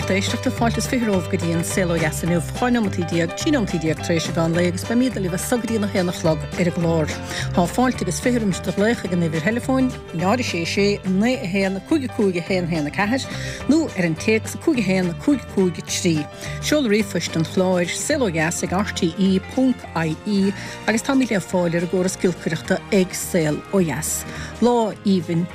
lucht éisteachta, fáilte is 20 romhaibh go dtí an Saol Ó Dheas inniu, 12 nóimeataí, 13 nóimeataí tar éis an mheán lae agus beimídne libh as so go dtí an 1 a chlog ar an gclár. Tá fáilte agus 20 roimis do ghlaoch ag an uimhir theileafóin, 0 6 6 9 1 5 5 1 1 4 nó ar an téacs 5 1 5 5 3. Seoladh ríomhphoist an chláir, saolodheas ag rte ponc ie agus táimid le fáil ar an gcóras giolcaireachta ag Saol Ó Dheas. Lá aoibhinn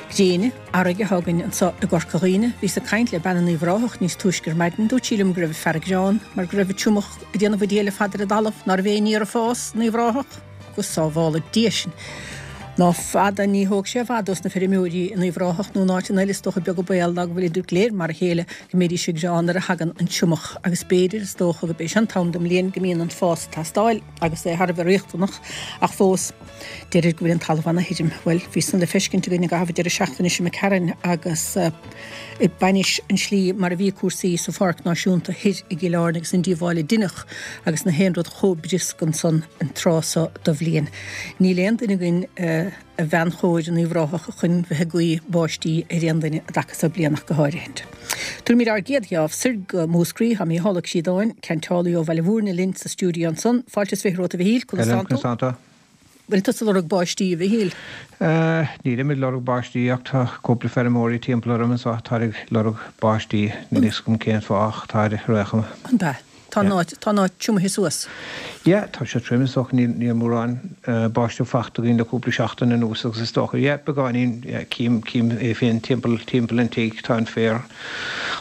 gréine. Earraigh atá againn anseo i gCorca Dhuibhne. Bhíos ag caint le bean in Uíbh Ráthach níos túisce ar maidin. Dúirt sí liom go raibh fearg greann mar go raibh an triomach ag déanamh an diabhail ar fad ar an dtalamh, ná raibh aon fhéar ag fás in Uíbh Ráthach. Go sábhála Dia sinn! Ná fada, ní thóg sé i bhfad dos na feirmeoirí in Uíbh Ráthach nó in áiteanna eile is dócha beag an baol ná go bhfuilid go léir mar a chéile go mbídís ag gearán nuair a thagann an triomach agus b'fhéidir, is dócha, gurb é seo an t-am den mbliain go mbíonn an fás ag teastáil agus é thar a bheith riachtanach ach fós. Deirtear go bhfuil an talamh ana-thirim. Bhuel, bhí san le feiscint againn i gcaitheamh an deireadh seachtaine seo imigh tharainn agus i bainis an slí mar a bhí cúrsaí sa Pháirc Náisiúnta thoir i gCill Airne agus an díobháil a deineadh agus na haon rud chomh briosc ansan an tráth so do bhliain. Níl aon duine againn a bhean chóir in Uíbh Ráthach chun bheith ag guí báistí ar aon duine an dtaca so bliain ach go háirithint. Tabharfaimid ár gcéad gheábh soir go Múscraí. Tá Mícheál Ó Críodáin, ceanteálaí ó Bhaile Mhúirne linn sa stiúideo ansan. Fáilte is 20 romhat a Mhichíl, conas tánn tú? Conas tánn tú? Bhfuil tusa ag lorg báistí, a Mhichíl? Nílim ag lorg báistí ach tá cúpla feirmeoirí timpeall orm anso atá ag lorg báistí. Níl a fhios agam cén fáth ach táid ar aon chuma. An ea? Tá an áit, tá an áit triomaithe suas. Yeah, tá sé tirim is dócha, níl, níl mórán báisteach fachta againn le cúpla seachtain anuas agus is dócha, yeah, beagáinín, yeah, cím, cím é féin timpeall, timpeall an tigh, tá an féar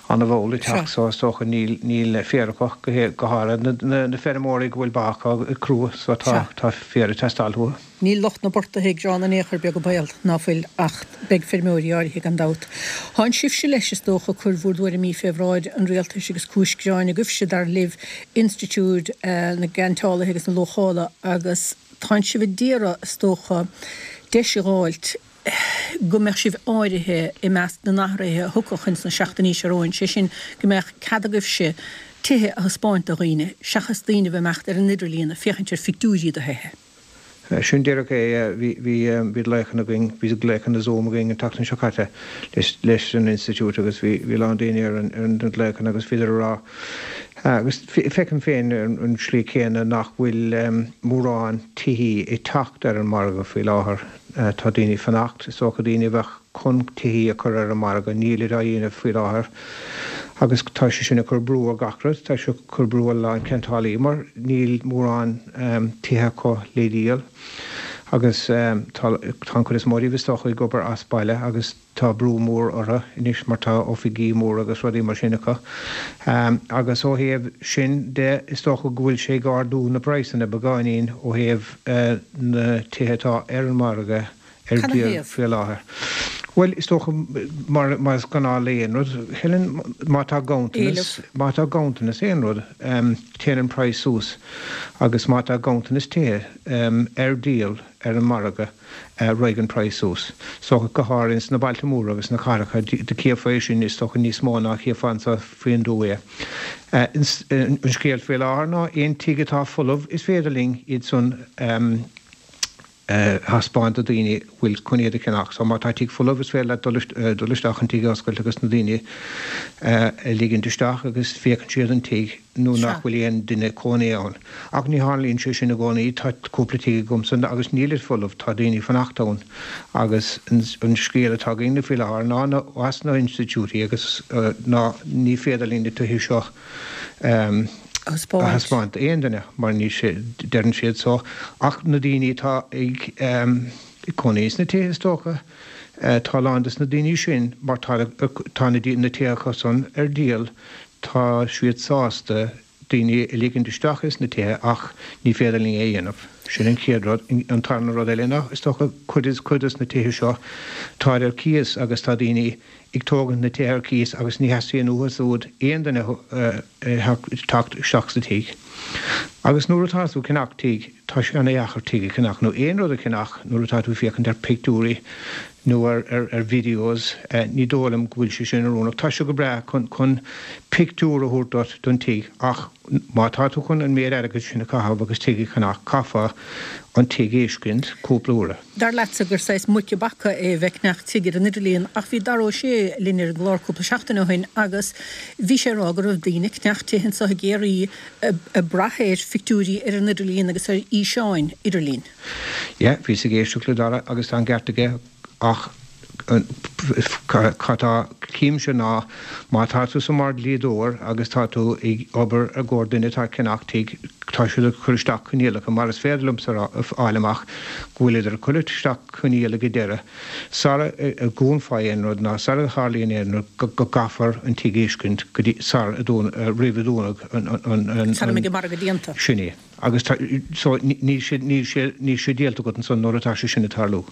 an-mhall ag teacht so is dócha níl, níl féar acu go hé, go háirithe na, na, na feirmeoirí go bhfuil ba acu ag crua so tá, tá féar ag teastáil uathu. Níl lucht na bportaithe ag gearán in aon chor beag an baol, ná fuil, ach beidh feirmeoirí áirithe gan dabht. Thánn sibhse leis, is dócha, ag cur bhúr dtuairimí fé bhráid an rialtais agus cúis gearáin agaibhse, dar libh, Institiúid na gCeanteálaithe agus na Luachála, agus tánn sibh a d'iarraidh, is dócha, deis a dh'fháilt go mbeadh sibh áirithe i measc na n-athruithe a thiocfadh ins na seachtainí seo romhainn, sé sin, go mbeadh cead agaibhse tithe a thaispeáint do dhaoine, seachas daoine a bheith ag imeacht ar an idirlíon ag féachaint ar phictiúirí do thithe. Sin díreach é. Bhí, bhí, bhí glaochanna againn, bhí glaochanna Zoom againn an tseachtain seo caite leis, leis an institiúid agus bhí, bhí a lán daoine ar an, ar na glaochanna agus bhíodar ag rá, agus feicim féin ar an slí céanna nach bhfuil mórán tithí ag teacht ar an margadh faoi láthair. Tá daoine ag fanacht, is dócha daoine a bheadh chun tithí a chur ar an margadh, nílid á dhéanamh faoi láthair agus tá sé sin ag cur brú ar gach rud, tá sé ag cur brú ar a lán ceantálaí mar níl mórán tithe acu le díol agus tá an chuid is mó díobh is dócha ag obair as baile agus tá brú mór orthu anois mar tá oifigí móra agus rudaí mar sin acu. Agus ó thaobh sin de is dócha go bhfuil sé ag ardú na praghsanna beagáinín ó thaobh na tithe atá ar an margadh ar díol faoi láthair. Bhuel, is dócha, mar mar is gnáth le aon rud, Helen, má tá ganntanas, má tá ganntanas aon rud, téann an praghas suas agus má tá ganntanas tithe ar díol ar an margadh, raghaidh an praghas suas. So, go háirithe sna bailte móra agus sna cathracha, do chífeá é sin is dócha níos mó ná a chífeá anseo faoin dtuath é. An scéal faoi láthair ná aon tigh atá folamh, is féidir linn iad san a thaispeáint do daoine a bhfuil chun iad a cheannach. So má tá tigh folamh is féidir leat dul isteach an tigh a oscailt agus na daoine a ligint isteach agus féachann siad an tigh nó nach bhfuil aon duine cónaí ann. Ach ní tharlaíonn sé sin i gcónaí. Tá cúpla tigh agamsa agus nílid folamh, tá daoine ag fanacht ann agus an scéal atá againn faoi láthair ná as na hinstitiúidí agus ná ní féidir linn na tithe seo a thaispeáint d'aon duine mar ní deireann siad so ach na daoine atá ag cónaí sna tithe is dócha. Tá a lán des na daoine sin mar tá tá na tithe acu san ar díol tá siad sásta daoine a ligint isteach ins na tithe ach ní féidir linn é a dhéanamh. Sin an chéad rud. An tarna rud eile ná is dócha cuid cuid des na tithe seo táid ar cíos agus tá daoine ag tógaint na tithe ar cíos agus ní theastaíonn uathu siúd aon duine teacht isteach sa tigh. Agus nuair atá tú ag ceannach tigh, tá sé ana-dheacair tigh a cheannach nó aon rud a cheannach nuair atá tú ag féachaint ar pictiúirí. nó ar ar videos, ní dóigh liom go bhfuil sé sin oiriúnach. Tá sé go breá chun chun pictiúr a thabhairt duit don tigh ach má tá tú chun an méid airgid sin a chaitheamh agus tigh a cheannach, caithfeá an tigh a fheiscint cúpla uair. Dar leatsa gur saghas muic a bpaca é a bheith ag ceannach tigh ar an idirlíon ach bhí Dara Ó Sé linn ar an gclár cúpla seachtain ó shin agus bhí sé ag rá go raibh daoine ag ceannach tithe anseo i gCiarraí ag brath ar phictiúirí ar an idirlíon agus ar fhíseáin idirlín. Yeah, bhíos ag éisteacht le Dara agus tá an ceart aige ach cad tá címse ná má tá tusa mar dhlíodóir agus tá tú ag obair i gcomhair duine atá ag ceannach tigh, tá siad ag cur isteach coinníollacha mar is féidir liomsa a fháil amach go bhfuilid ag cur isteach coinníoll ag an deireadh sara dhúnfá aon rud ná sara tharlaíonn aon rud go gcaithfear an tigh a fheiscint go dtí sar a roimh a dúnadh an Sara mbeidh an margadh déanta. Sin é. Agus tá, so, níl sé, níl sé, níl sé díolta agat ansan nuair atá sé sin ag tarlú.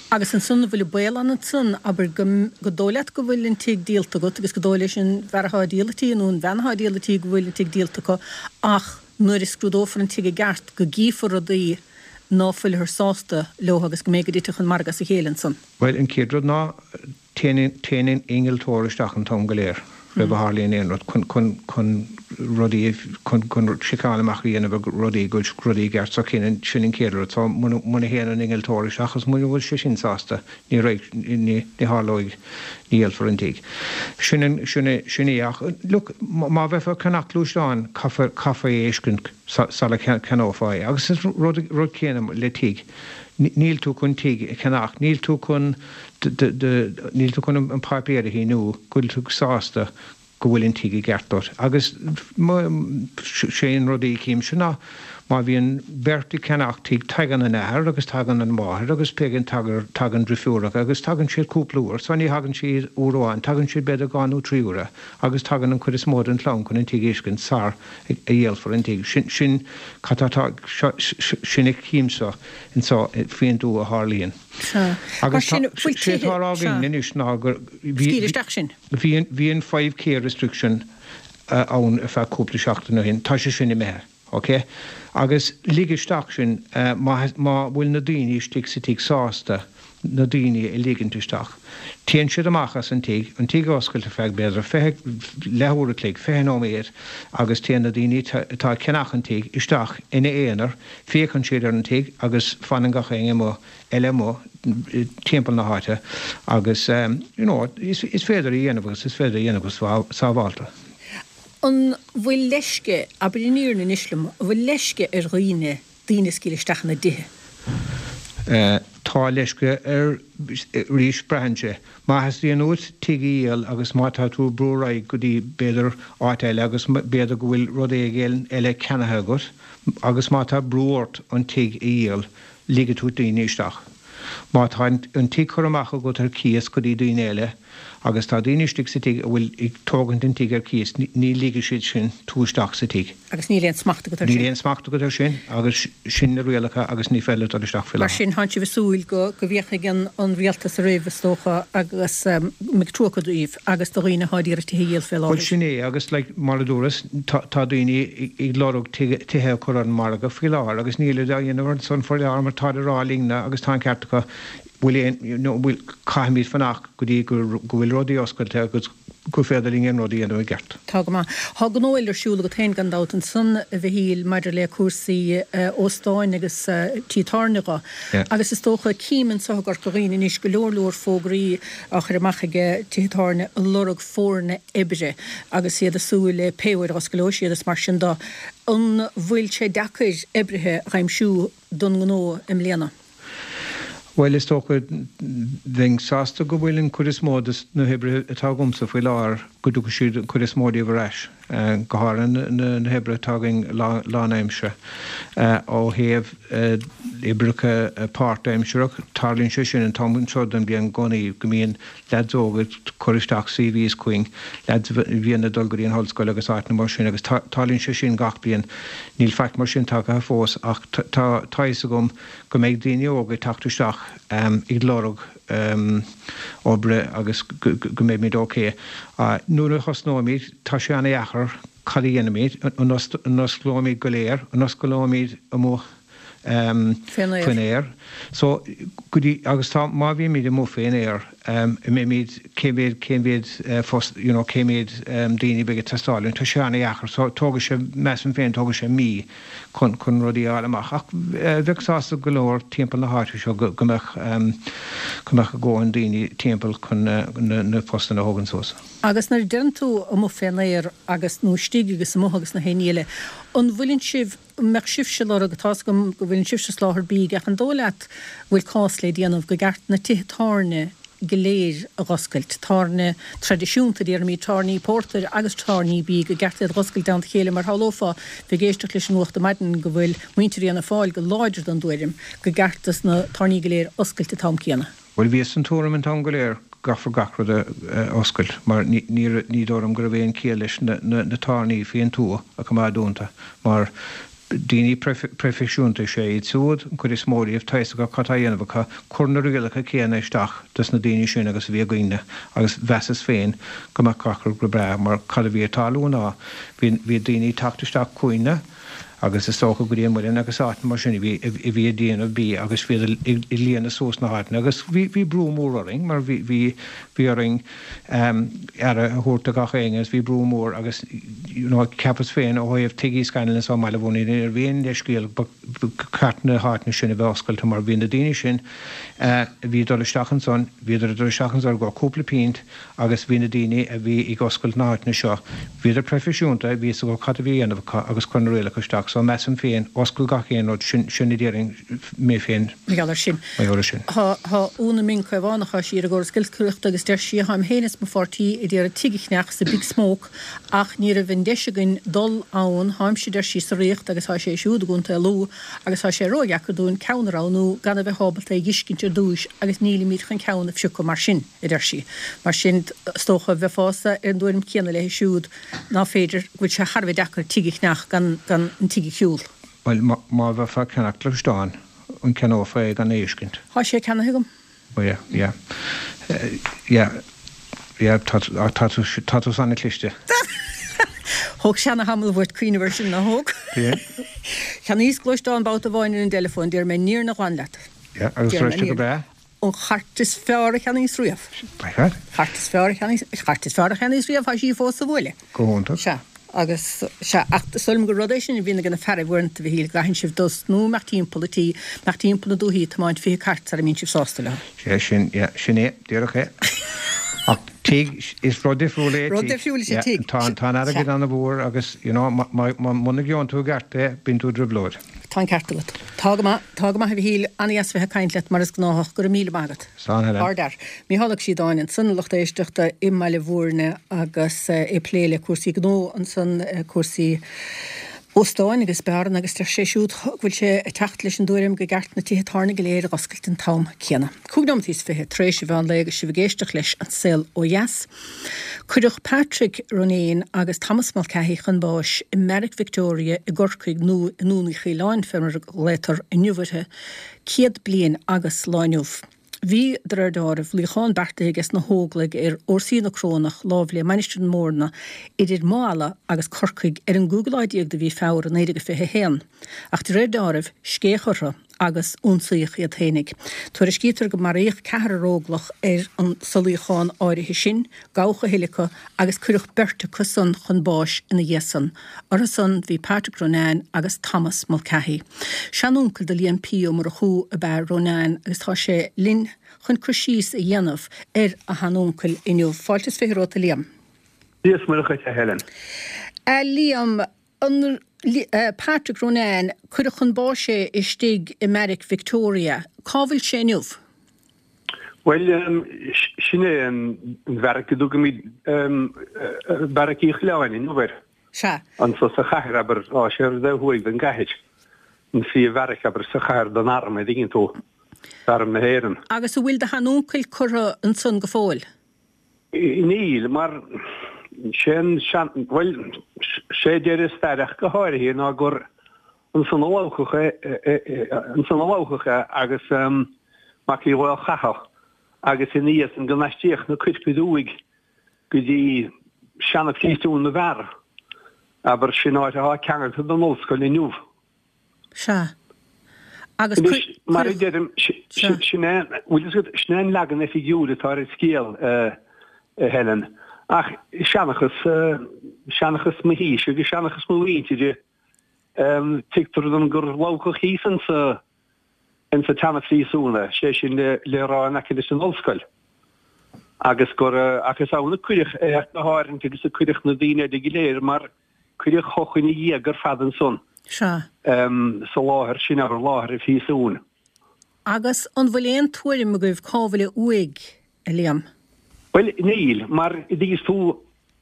Agus ansan, an bhfuil an baol ann ansan, abair, go, go dóigh leat go bhfuil an tigh díolta agat agus go dóigh leis an bhfear athá ag díol an tí nó an bhean athá ag díol an tí go bhfuil an tigh díolta acu ach nuair a scrúdófar an tigh i gceart go gcífear rudaí ná fuilthear sásta leo agus go mbeidh go dtitfeadh an margadh as a chéile ansan. Bhuel, an chéad rud ná, Téann an innealtóir isteach an t-am go léir roimh a tharlaíonn aon rud chun, chun, chun rudaí, chun, chun seiceáil amach a dhéanamh ar rudaí, go bhfuil rudaí i gceart. So sin, sin an chéad rud. So muna, muna théann an innealtóir isteach agus muna bhfuil sé sin sásta, ní raghaidh, ní, ní tharlóidh, ní dhíolfar an tigh. Sin an, sin é, sin é ach look, má bheifeá ag ceannach gluaisteán, caithfear, caithfear é a fheiscint sula ceannófá é. Agus is rud, rud céanna le tigh. Níl tú chun tigh a cheannach, níl tú chun níl tú chun an páipéar a shíniú go bhfuil tú sásta go bhfuil an tigh i gceart duit. Agus sé an rud a chímse ná má bhíonn beirt ag ceannach tigh tagann an athair agus tagann an mháthair agus péigin tagann drifiúracha agus tagann siad cúpla uair so ní thagann siad uair amháin tagann siad b'fhéidir dhá nó trí uaire agus tagann an chuid is mó den chlann chun an tigh a fheiscint sar a dhíolfar an tigh. Sin, sin, cad tá, sin a chímse anseo faoin tuath a tharlaíonn. Sea. Mar Agus tá, sin, bhfuil sé tithe, atá á rá sea. againn anois ná gur, bhí, Scaoil isteach sin. bhí an, bhí an 5K restriction ann ar feadh cúpla seachtain ó shin. Tá sé sin imithe. Ok? Agus lig isteach sin, má, má bhfuil na daoine istigh sa tigh sásta na daoine a ligint isteach. Téann siad amach as an tigh, an tigh a oscailt ar feadh b'fhéidir 20, leathuair a chloig, 20 nóiméad agus téann na daoine atá ag ceannach an tigh isteach ina aonar, féachann siad ar an tigh agus fanann gach éinne amuigh, eile amuigh timpeall na háite agus you know is féidir a dhéanamh agus is féidir a dhéanamh go sábhálta. An bhfuil leisce, abair an fhírinne anois liom, an bhfuil leisce ar dhaoine daoine a scaoileadh isteach ina dtithe? Tá leisce ar, arís, braitheann sé. Má theastaíonn uait tigh a dhíol agus má tá tú ag brú ar aghaidh go dtí, b'fhéidir, áit eile agus b'fhéidir go bhfuil rud éigin eile ceannaithe agat agus má tá brú ort an tigh a dhíol, ligfidh tú daoine isteach. Má tá an tigh curtha amach agat ar cíos go dtí daoine eile, Agus tá daoine istigh sa tigh a bhfuil ag tógaint an tigh ar cíos, ní ligfidh siad sin tú isteach sa tigh. Agus níl aon smacht agat air sin. Níl aon smacht agat air sin agus sin na rialacha agus ní féidir leat dul isteach faoi láthair. Mar sin, tánn sibh ag súil go go bhféachfaidh an an rialtas oraibh, is dócha, agus go mbeidh trua acu daoibh agus do dhaoine atá ag iarraidh tithe a dhíol fé láthair. Bhuel, sin é agus like mar a dúras, tá tá daoine ag lorg tithe a chur ar an margadh faoi láthair agus nílid á dhéanamh ansan faoi láthair mar táid ag rá linn agus tá an ceart acu, bhfuil aon, nó bhfuil, caithfimid fanacht go dtí go bhfuil rudaí oscailte agus gur féidir linn aon rud a dhéanamh i gceart. Tá go maith. Tá gnó eile ar siúl agat féin gan dabht ansan, a Mhichíl, maidir le cúrsaí óstáin agus tí tábhairne dho. Agus is dócha, cím anso i gCorca Dhuibhne anois go leor leor fógraí á chur amach ag tithe tábhairne ag lorg foirne oibre agus iad ag súil le pé uair a osclóidh siad is mar sin do. An bhfuil sé deacair oibrithe a dh'aimsiú don ngnó i mbliana? Bhuel, is dócha, bheinn sásta go bhfuil an chuid is mó de na hoibrithe atá agamsa faoi láthair, go dtiocfaidh siad, an chuid is mó díobh ar ais, go háirithe na hoibrithe atá againn lánaimseartha. Ó thaobh oibreacha páirtaimsearach, tarlaíonn sé sin an t-am seo den bhliain i gcónaí, go mbíonn leaids óga ag cur isteach CVs chugainn, leaids a bhíonn ag dul go dtí an ollscoil agus áiteanna mar sin agus tarlaíonn sé sin gach bliain. Níl faic mar sin tagtha fós ach tá a fhios agam go mbeidh daoine óga ag teacht isteach ag lorg oibre agus go mbeimid ok. Nuair a thosnóimid, tá sé an-dheacair cad a dhéanfaimid, an osclóimid go léir, an osclóimid amuigh? Faoin aer. So, go dtí, agus tá, má bhímid amuigh faoin aer, an mbeimid, cé mhéad, cé mhéad post, you know, cé mhéad daoine a bheidh ag teastáil uainn, tá sé an-dheacair. So, tógfaidh sé, measaim féin, tógfaidh sé mí chun, chun rudaí a fháil amach. Ach bheadh sásta go leor timpeall na háite seo go, go mbeadh, go mbeadh a ndóthain daoine timpeall chun na, na postanna a thógaint suas. Agus nuair a deireann tú amuigh fén aer agus, nó istigh agus amuigh agus na haon ní eile, an bhfuileann sibh, an mbeadh sibhse ag lorg, tá's agam go bhfuileann sibhse ag soláthar bídh ach an dóigh leat go bhfuil cás le déanamh go gceart na tithe tábhairne go léir a dh'oscailt, tábhairne traidisiúnta, déarfaimid, tábhairní pórtair agus tábhairní bídh, go gceart iad dh'oscailt i dteannta a chéile mar shamhlófá bheith ag éisteacht leis an nuacht ar maidin go bhfuil muintir Fhianna Fáil go láidir den dtuairim go gceart dos na tábhairní go léir oscailt an t-am céanna. Bhuel, bhíos den tuairim an t-am go léir go gcaithfear gach rud a oscailt mar ní dóigh liom go raibh aon chiall leis na tábhairní faoin tuath a choimeád dúnta mar daoine proifisiúnta is ea iad siúd, an chuid is mó díobh, tá fhios acu cad tá á dhéanamh acu, cuir na rialacha céanna isteach dos na daoine sin agus a bhí againne agus mheasas féin go mbeadh gach rud go breá mar cad a bhí ag tarlú ná bhí daoine ag teacht isteach chugainne agus is dócha go dtí an Muileann agus áiteanna mar sin a bhí a bhí ag déanamh bídh agus bhíodar ag líonadh suas na háiteanna agus bhí bhí brú mór orainn mar bhí bhí bhí orainn aire a thabhairt do gach éinne agus bhí brú mór agus you know cheapas féin ó thaobh Tigh Uí Scanlon anso i mBaile Bhúirne ní raibh aon leithscéal ba cheart na háiteanna sin a bheith oscailte mar bhí na daoine sin a bhí ag dul isteach ansan bhíodar ag dul isteach ansan i gcomhair cúpla pint Agus bhí na daoine a bhí ag oscailt na háiteanna seo, bhíodar proifisiúnta, bhí fhios acu cad a bhí a dhéanamh acu agus cuir na rialacha isteach. So measaim féin, oscail gach aon rud, sin, sin a déarfainn mé féin. Mar gheall air sin. Mar gheall air sin. Tá, tá Úna Ming Caomhánach, tá sí ar an gcóras giolcaireachta agus deir sí, Táim féin is mo pháirtí ag iarraidh tigh a cheannach sa Big Smoke ach ní raibh an deis againn dul ann, táimse, deir sí, sa Ríocht agus tá sé siúd i gContae Lú agus tá sé ródheacair dúinn ceann a roghnú gan a bheith ábalta é dh'fheiscint ar dtúis agus nílimid chun ceann a phiocadh mar sin. a deir sí. Mar sin, is dócha, bheifeása ar an dtuairim chéanna léi siúd, ná féidir, go bhfuil sé thar a bheith deacair tigh a cheannach gan gan an tigh a shiúl. Bhuel, má bheifeá ag ceannach gluaisteán, an gceannófá é gan é a fheiscint? Tá sé ceannaithe agam. Oh yeah, yeah. Yeah, yeah, tá, tá tú, tá tú an-chliste. Thóg sé ana-thamall uait cuimhneamh air sin, nár thóg? Yeah. Cheannaíos gluaisteán babhta amháin ar an dteileafón, déarfaidh mé an fhírinne ghlan leat. Yeah, agus raibh sé go breá? An chairt is fearr a cheannaíos riamh. By God. Chairt is fearr a cheannaíos, chairt is fearr a cheannaíos riamh, tá sí fós sa bhuaile. Go hiontach. Sea, agus, sea, ach is dóigh liom gur rud é sin a bhíonn ag na fearaibh uaireanta, a Mhichíl, go gcaitheann sibh dul nó imeacht timpeall an tí, imeacht timpeall na dúichí, tiomáint 20 cairt sara mbíonn sibh sásta leo. Sea, sin, yeah, sin é, díreach é. Ach tigh, is rud difriúil é tigh. Rud difriúil is ea tigh. Tá, tá an airgead ana-mhór agus, you know, má, má, muna gheobhann tú i gceart é, bíonn tú i dtrioblóid. Tá an ceart agat. Tá go maith, tá go maith a Mhichíl, an-dheas bheith ag caint leat mar is gnáthach, go raibh míle maith agat. Slán Helen. Ardfhear. Mícheál Ó Síodáin ansan, a lucht éisteachta i mBaile Bhúirne agus é ag plé le cúrsaí gnó ansan, cúrsaí óstáin agus beáranna agus deir sé siúd go bhfuil sé ag teacht leis an dtuairim go gceart na tithe tábhairne go léir a dh'oscailt an t-am céanna. Cúig nóimeataí is fiche tar éis an mheán lae agus sibh ag éisteacht leis An Saol Ó Dheas. Cuireadh Patrick Ronayne agus Thomas Mulcahy chun báis i mBeairic Victoria i gCorcaigh, nó i nDún Uí Choileáin fé mar a ghlaotar inniu uirthi, 100 bliain agus lá inniu. Bhí, de réir deáraimh, luíochán beartaithe aige sna hÓglaigh ar fhórsaí na Corónach lámh le Mainistir na Móirne idir Maigh Ealla agus Corcaigh ar an gcúigiú lá déag de mhí Feabhra 1921. Ach de réir deáraimh, scéith orthu agus ionsaíodh iad fhéinig. Tuairiscítear go maraíodh ceathrar óglach ar an sa luíochán áirithe sin, gabhadh a thuilleadh acu agus cuireadh beirt acu san chun báis ina dhiaidh san. Orthu san bhí Patrick Ronayne agus Thomas Mulcahy. Seanuncail do Liam P. Ó Murchú ab ea Ronayne agus tá sé linn chun cur síos a dhéanamh ar a sheanuncail inniu. Fáilte is fiche romhat a Liam. Dia is Muire dhuit a Helen. A Liam, An Patrick Ronayne, cuireadh chun báis é istigh i mBeairic Victoria. Cá bhfuil sé inniu? Bhuel, sin é an bheairic a dtugaimid Beairic Uí Choileáin inniu air. Sea. Anso sa chathair, abair, tá sé ar an dtaobh thuaidh den gcathair. An phríomh-bheairic, abair, sa chathair don arm, a dtuigeann tú, d'Arm na hÉireann. Agus an bhfuil do sheanuncail curtha ansan go fóill? Níl, mar sé an sean, bhuel, sé deir an stair ach go háirithe ná gur ansan a lobhadh é, ansan a lobhadh é agus Mac Uí Mhaolchatha agus ina dhiaidh san go n-aistríodh na coirp aduaidh go dtí seana-phríosún na bhfear, abair, sin áit atá ceangailte den ollscoil inniu. Sea. Agus Anois, mar a deirim, sin é, bhfuil fhios agat, sin é an leagan oifigiúil atá ar an scéal, a Helen. Ach seanchas, seanchas mo shínsir agus seanchas mo mhuintire, tuigtear dom gur lobhadh thíos insa, insa tseana-phríosún é, sé sin le rá in aice leis an ollscoil. Agus gur, ach is ann a cuireadh é ach go háirithe agus a cuireadh na daoine eile go léir mar, Cuireadh chucu ina dhiaidh ar fad ansan. Sea. Sa láthair sin, abair, láthair an phríosúin. Agus an bhfuil aon tuairim agaibh cá bhfuil a uaigh, a Liam? Bhuel, níl, mar an dtuigeann tú,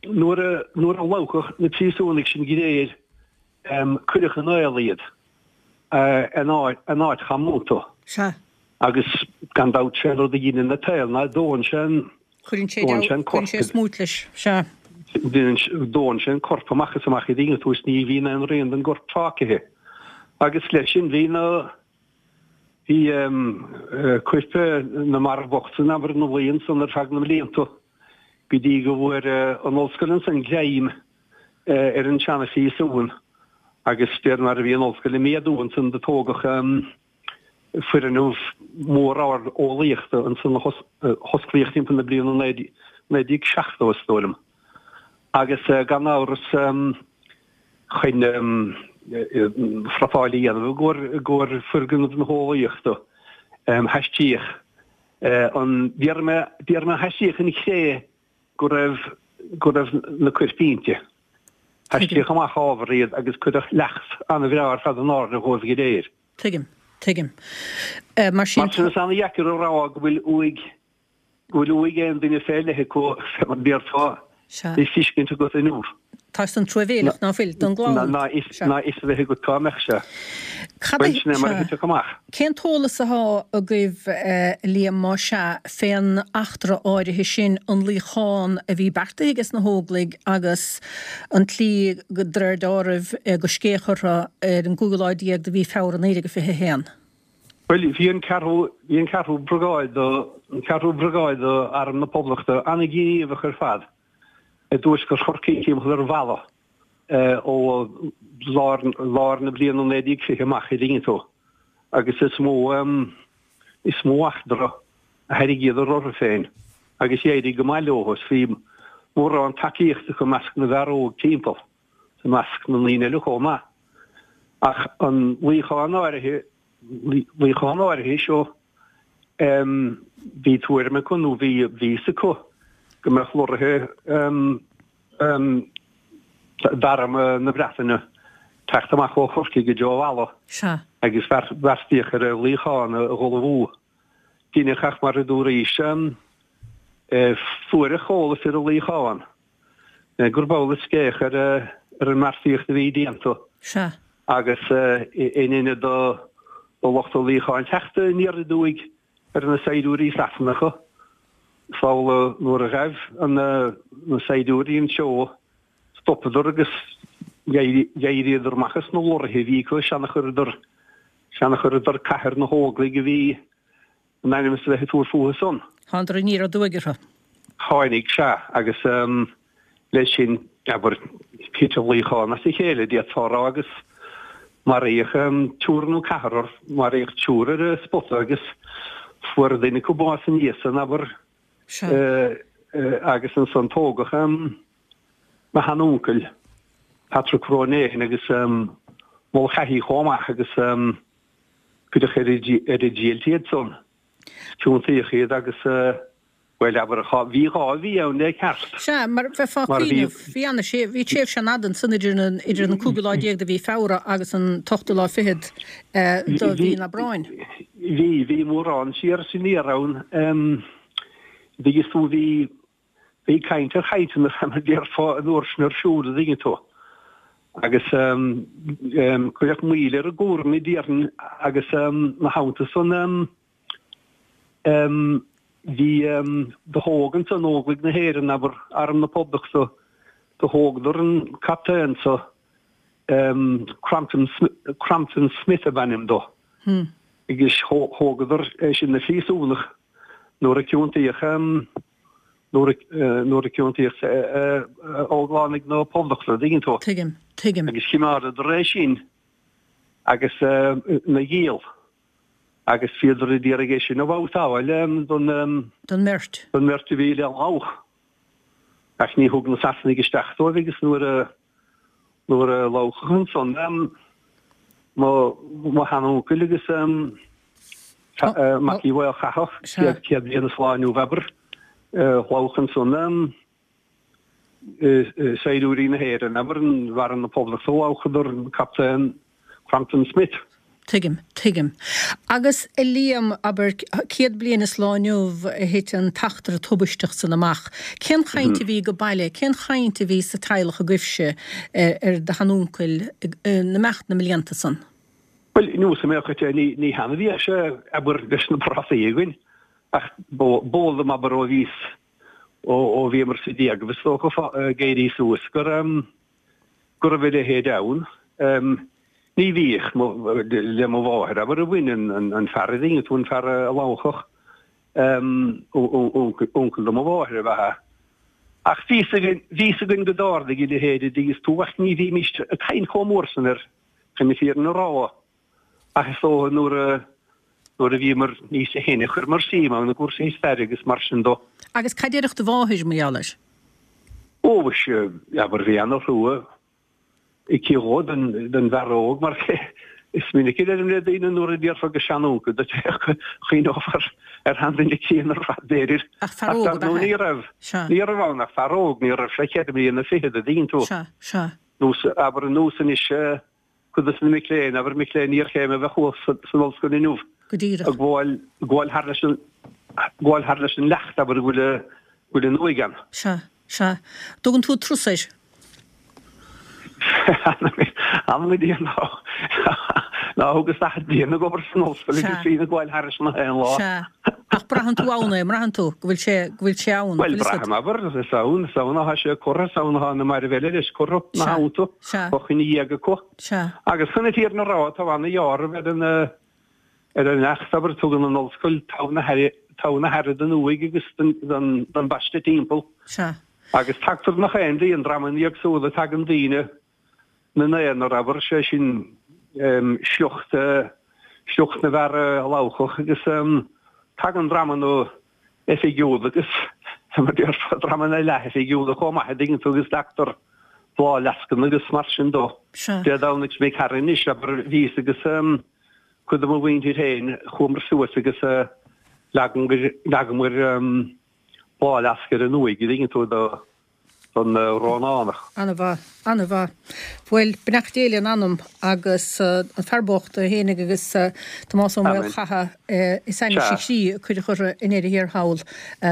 nuair a, nuair a lobhadh na príosúnaigh sin go léir, cuireadh in aol iad, in áit, in áit chomónta. Sea. Agus gan dabht, sé an rud a dheineann an t-aol ná dónn sé an, Cuireann sé Dónn sé an corp. Cuireann sé smúit leis, sea. Dónn sé an corp amach is amach an dtuigeann tú is ní bhíonn aon rian den gcorp fágtha. Agus leis sin bhí na, bhí coirp na marbh bocht san abair ina luí ansan ar feadh na mblianta go dtí go bhfuair an ollscoil ansan greim ar an seana-phríosún agus de réir mar a bhí an ollscoil ag méadú ansan do tógadh foirgneamh mór ard eolaíochta ansan a hosclaíodh timpeall na bliana 1970 is dóigh liom. Agus gan amhras chun prapáil a dhéanamh i gcomhair foirgneamh na heolaíochta haistíodh an, déarfaidh mé, déarfaidh mé haistíodh an chré go raibh, go raibh na coirp inti. Haistíodh amach ábhar iad agus cuireadh leacht an-bhreá ar fad in airde dhóibh go léir. Tuigim. Tuigim. Mar sin. Mar sin is an-dheacair a rá go bhfuil uaigh, go bhfuil uaigh aon duine fé leith acu, fé mar déarfá, le feiscint agat inniu. Tá san truamhéileach, ná fuil, don gclann. Ná fhios a bheith agat cá mbeadh sé. Cad é, Bhuel, sin é mar a sea. thitfeadh amach. Cén t-eolas atá agaibh, a Liam, más ea, fén eachtra áirithe sin, an luíochán a bhí beartaithe aige sna hÓglaigh agus an tslí, de réir deáraimh, go scéach orthu ar an gcúigiú lá déag de mhí Feabhra 1921? Bhuel, bhí an ceathrú, bhí an ceathrú briogáid, an ceathrú briogáid d'Arm na Poblachta an-ghníomhach ar fad i dtuaisceart Chorcaí timpeall ar Mhala. ó lár, lár na bliana 1920 amach an dtuigeann tú agus is mó, is mó eachtra a thairringíodar orthu féin agus d'éirigh go maith leo is bhí mórán tacaíochta acu i measc na bhfear óg timpeall, i measc na ndaoine eile chomh maith. Ach an luíochán áirithe, luíochán áirithe seo, bhí tuairim acu nó bhí, bhí fhios acu go mbeadh lorraithe, d'arm na Breataine teacht amach ó Chorcaigh i dtreo Mhala agus bheartaíodh ar an luíochán a dh'ullmhú. Deineadh ach mar a dúraís, fuaireadh eolas ar an luíochán gurb amhlaidh scéach ar an mbeartaíocht a bhí déanta agus in ionad do lucht an luíocháin teacht aniar aduaidh ar na saighdiúirí Sasanacha. Is amhlaidh nuair a ghaibh na saighdiúirí an treo, stopadar agus d'éiríodar amach as na lorraithe a bhí acu, sin a chuireadar, sin a chuireadar cath ar na hÓglaigh a bhí in ainm is a bheith ag tabhairt fúthu san. Thánadar aniar aduaidh orthu. Tháinig, sea, agus. Leis sin, abair, thit an luíochán as a chéile, d'fhéadfá a rá, agus maraíodh triúr nó ceathrar, maraíodh triúr ar an spota agus fuair duine acu bás ina dhiaidh san, abair, agus ansan tógadh mo sheanuncail, Patrick Ronayne agus Mulcahy chomh maith agus cuireadh ar an diallait iad san, ciontaíodh iad agus. Bhuel, abair, bhí 2 mhí ann le ceart. Sea, mar bheifeá ag cuimhneamh, bhí ana, sé, bhí tréimhse an-fhada ansan idir an, idir an cúigiú lá déag de mhí Feabhra agus an t-ochtú lá fichead de mhí an Aibreáin. Bhí, bhí mórán siar is aniar ann. Dtuigeann tú, bhí, bhí caint ar chainteanna, mar a déarfá, an uair sin ar siúl, a dtuigeann tú. Agus cuireadh moill ar an gcúram, déarfainn, agus ina theannta san, Bhí, do thóg ansan Óglaigh na hÉireann, abair, Arm na Poblachta, do thógadar an captaen so, Crompton, Crompton Smith ab ainm dó, agus thógadar é sin 'na phríosúnach nuair a ciontaíodh, nuair a, nuair a ciontaíodh Óglánaigh na Poblachta, dtuigeann tú. Tuigim, tuigim. Agus chimeádadar é sin agus 'na ghiall. Agus bhíodar a d'iarraidh é sin a bhabhtáil don. Don mbeirt. Don mbeirt a bhí le labhadh. Ach ní thug na Sasanaigh isteach dóibh agus nuair a nuair a labhadh ansan mo mo sheanuncail agus Mac Uí Mhaolchatha, 100 bliain is lá inniu abair, labhadh ansan saighdiúirí na hÉireann, abair, in Arm na Poblachta, labhadar an Captaen Crompton Smith. Tuigim, tuigim. Agus a Liam, abair, 100 bliain is lá inniu a thit an t-eachtra tubaisteach san amach. Cén chaint a bhí go baile, cén chaint a bhí sa teaghlach agaibhse ar do sheanuncail in imeacht na mblianta san? Bhuel, nós a mbeadh é, ní hann a bhíodh sé, abair, leis na prátaí againn, ach b'eol dom, abair, ó bhíos, ó bhíomar sa déagaibh, is dócha, ag éirí suas, gur, go raibh a leithéid ann. Ní bhíodh le mo mháthair, abair, a bhain an fear a dtuigeann tú, an fear a lamhachadh, uncail do mo mháthair ab ea. Ach bhí fhios againn go dtarlaigh a leithéid a dtuigeann tú ach ní bhímís ag caint chomh mór san air, chun na fírinne a rá. Ach is dócha nuair a nuair a bhíomar níos sine chuireamar suim ann i gcúrsaí staire agus mar sin dó. Agus cad déarfadh do mháthair mar gheall air? Ó, mhuise, abair, bhí ana-thrua aici dhó, don bhfear óg, mar is minic a deirim le daoine nuair a déarfá go seanuncail duit é, chuimhneofar ar sheanduine críonna ar fad, b'fhéidir. Ach fear óg ab ea é? Ní raibh. Ní raibh ann ach fear óg, ní raibh sé ceithre bliana fichead, a dtuigeann tú. Sea, sea. Nós, abair, nós anois, Cuid de na mic léinn, abair mic léinn iarchéime a bheadh thuas san ollscoil inniu, Go díreach. ag gabháil, ag gabháil thar leis an, gabháil thar leis an leacht, abair, go bhfuil a, go bhfuil an uaigh ann. Sea, sea. Dtugann tú turas air? Anam go Dia ná, ná thugas 40 bliain ag obair san ollscoil agus bhínn ag gabháil thairis na haon lá. Sea. Ach braitheann tú ann é, an mbraitheann tú go bhfuil sé, go bhfuil sé ann? Bhuel, braithim, abair, is ann, is ann atá sé curtha, is ann atá na mairbh eile leis curtha, ina theannta, fá choinne dhiaidh acu. Sea. Agus chun na fírinne a rá, tá ana-dheáramh ar an, ar an leacht, abair, tugann an ollscoil togha na haire, togha na haire don uaigh agus don, don, don bpaiste timpeall. Sea. Agus tagtar nach aon dí, an dreamanna éagsúla, tagann daoine, na n-aonar, abair, sé sin sliocht, sliocht na bhfear a lamhachadh agus tagann dreamanna oifigiúla agus, mar a déarfá, dreamanna leath-oifigiúla chomh maith, a dtuigeann tú, agus leagtar bláthfhleascanna agus mar sin dó. Dé Domhnaigh seo imigh tharainn anois, abair, bhíos agus cuid de mo mhuintir féin, chuamar suas agus leagamar bláthfhleasc ar an uaigh, a dtuigeann tú, do don Rónánach. Ana-mhaith, ana-mhaith. Bhuel, beannacht Dé lena anam agus an fear bocht é fhéinig agus Tomás Ó Maolchatha is ainnis a chroí a cuireadh orthu i ndeireadh thiar thall.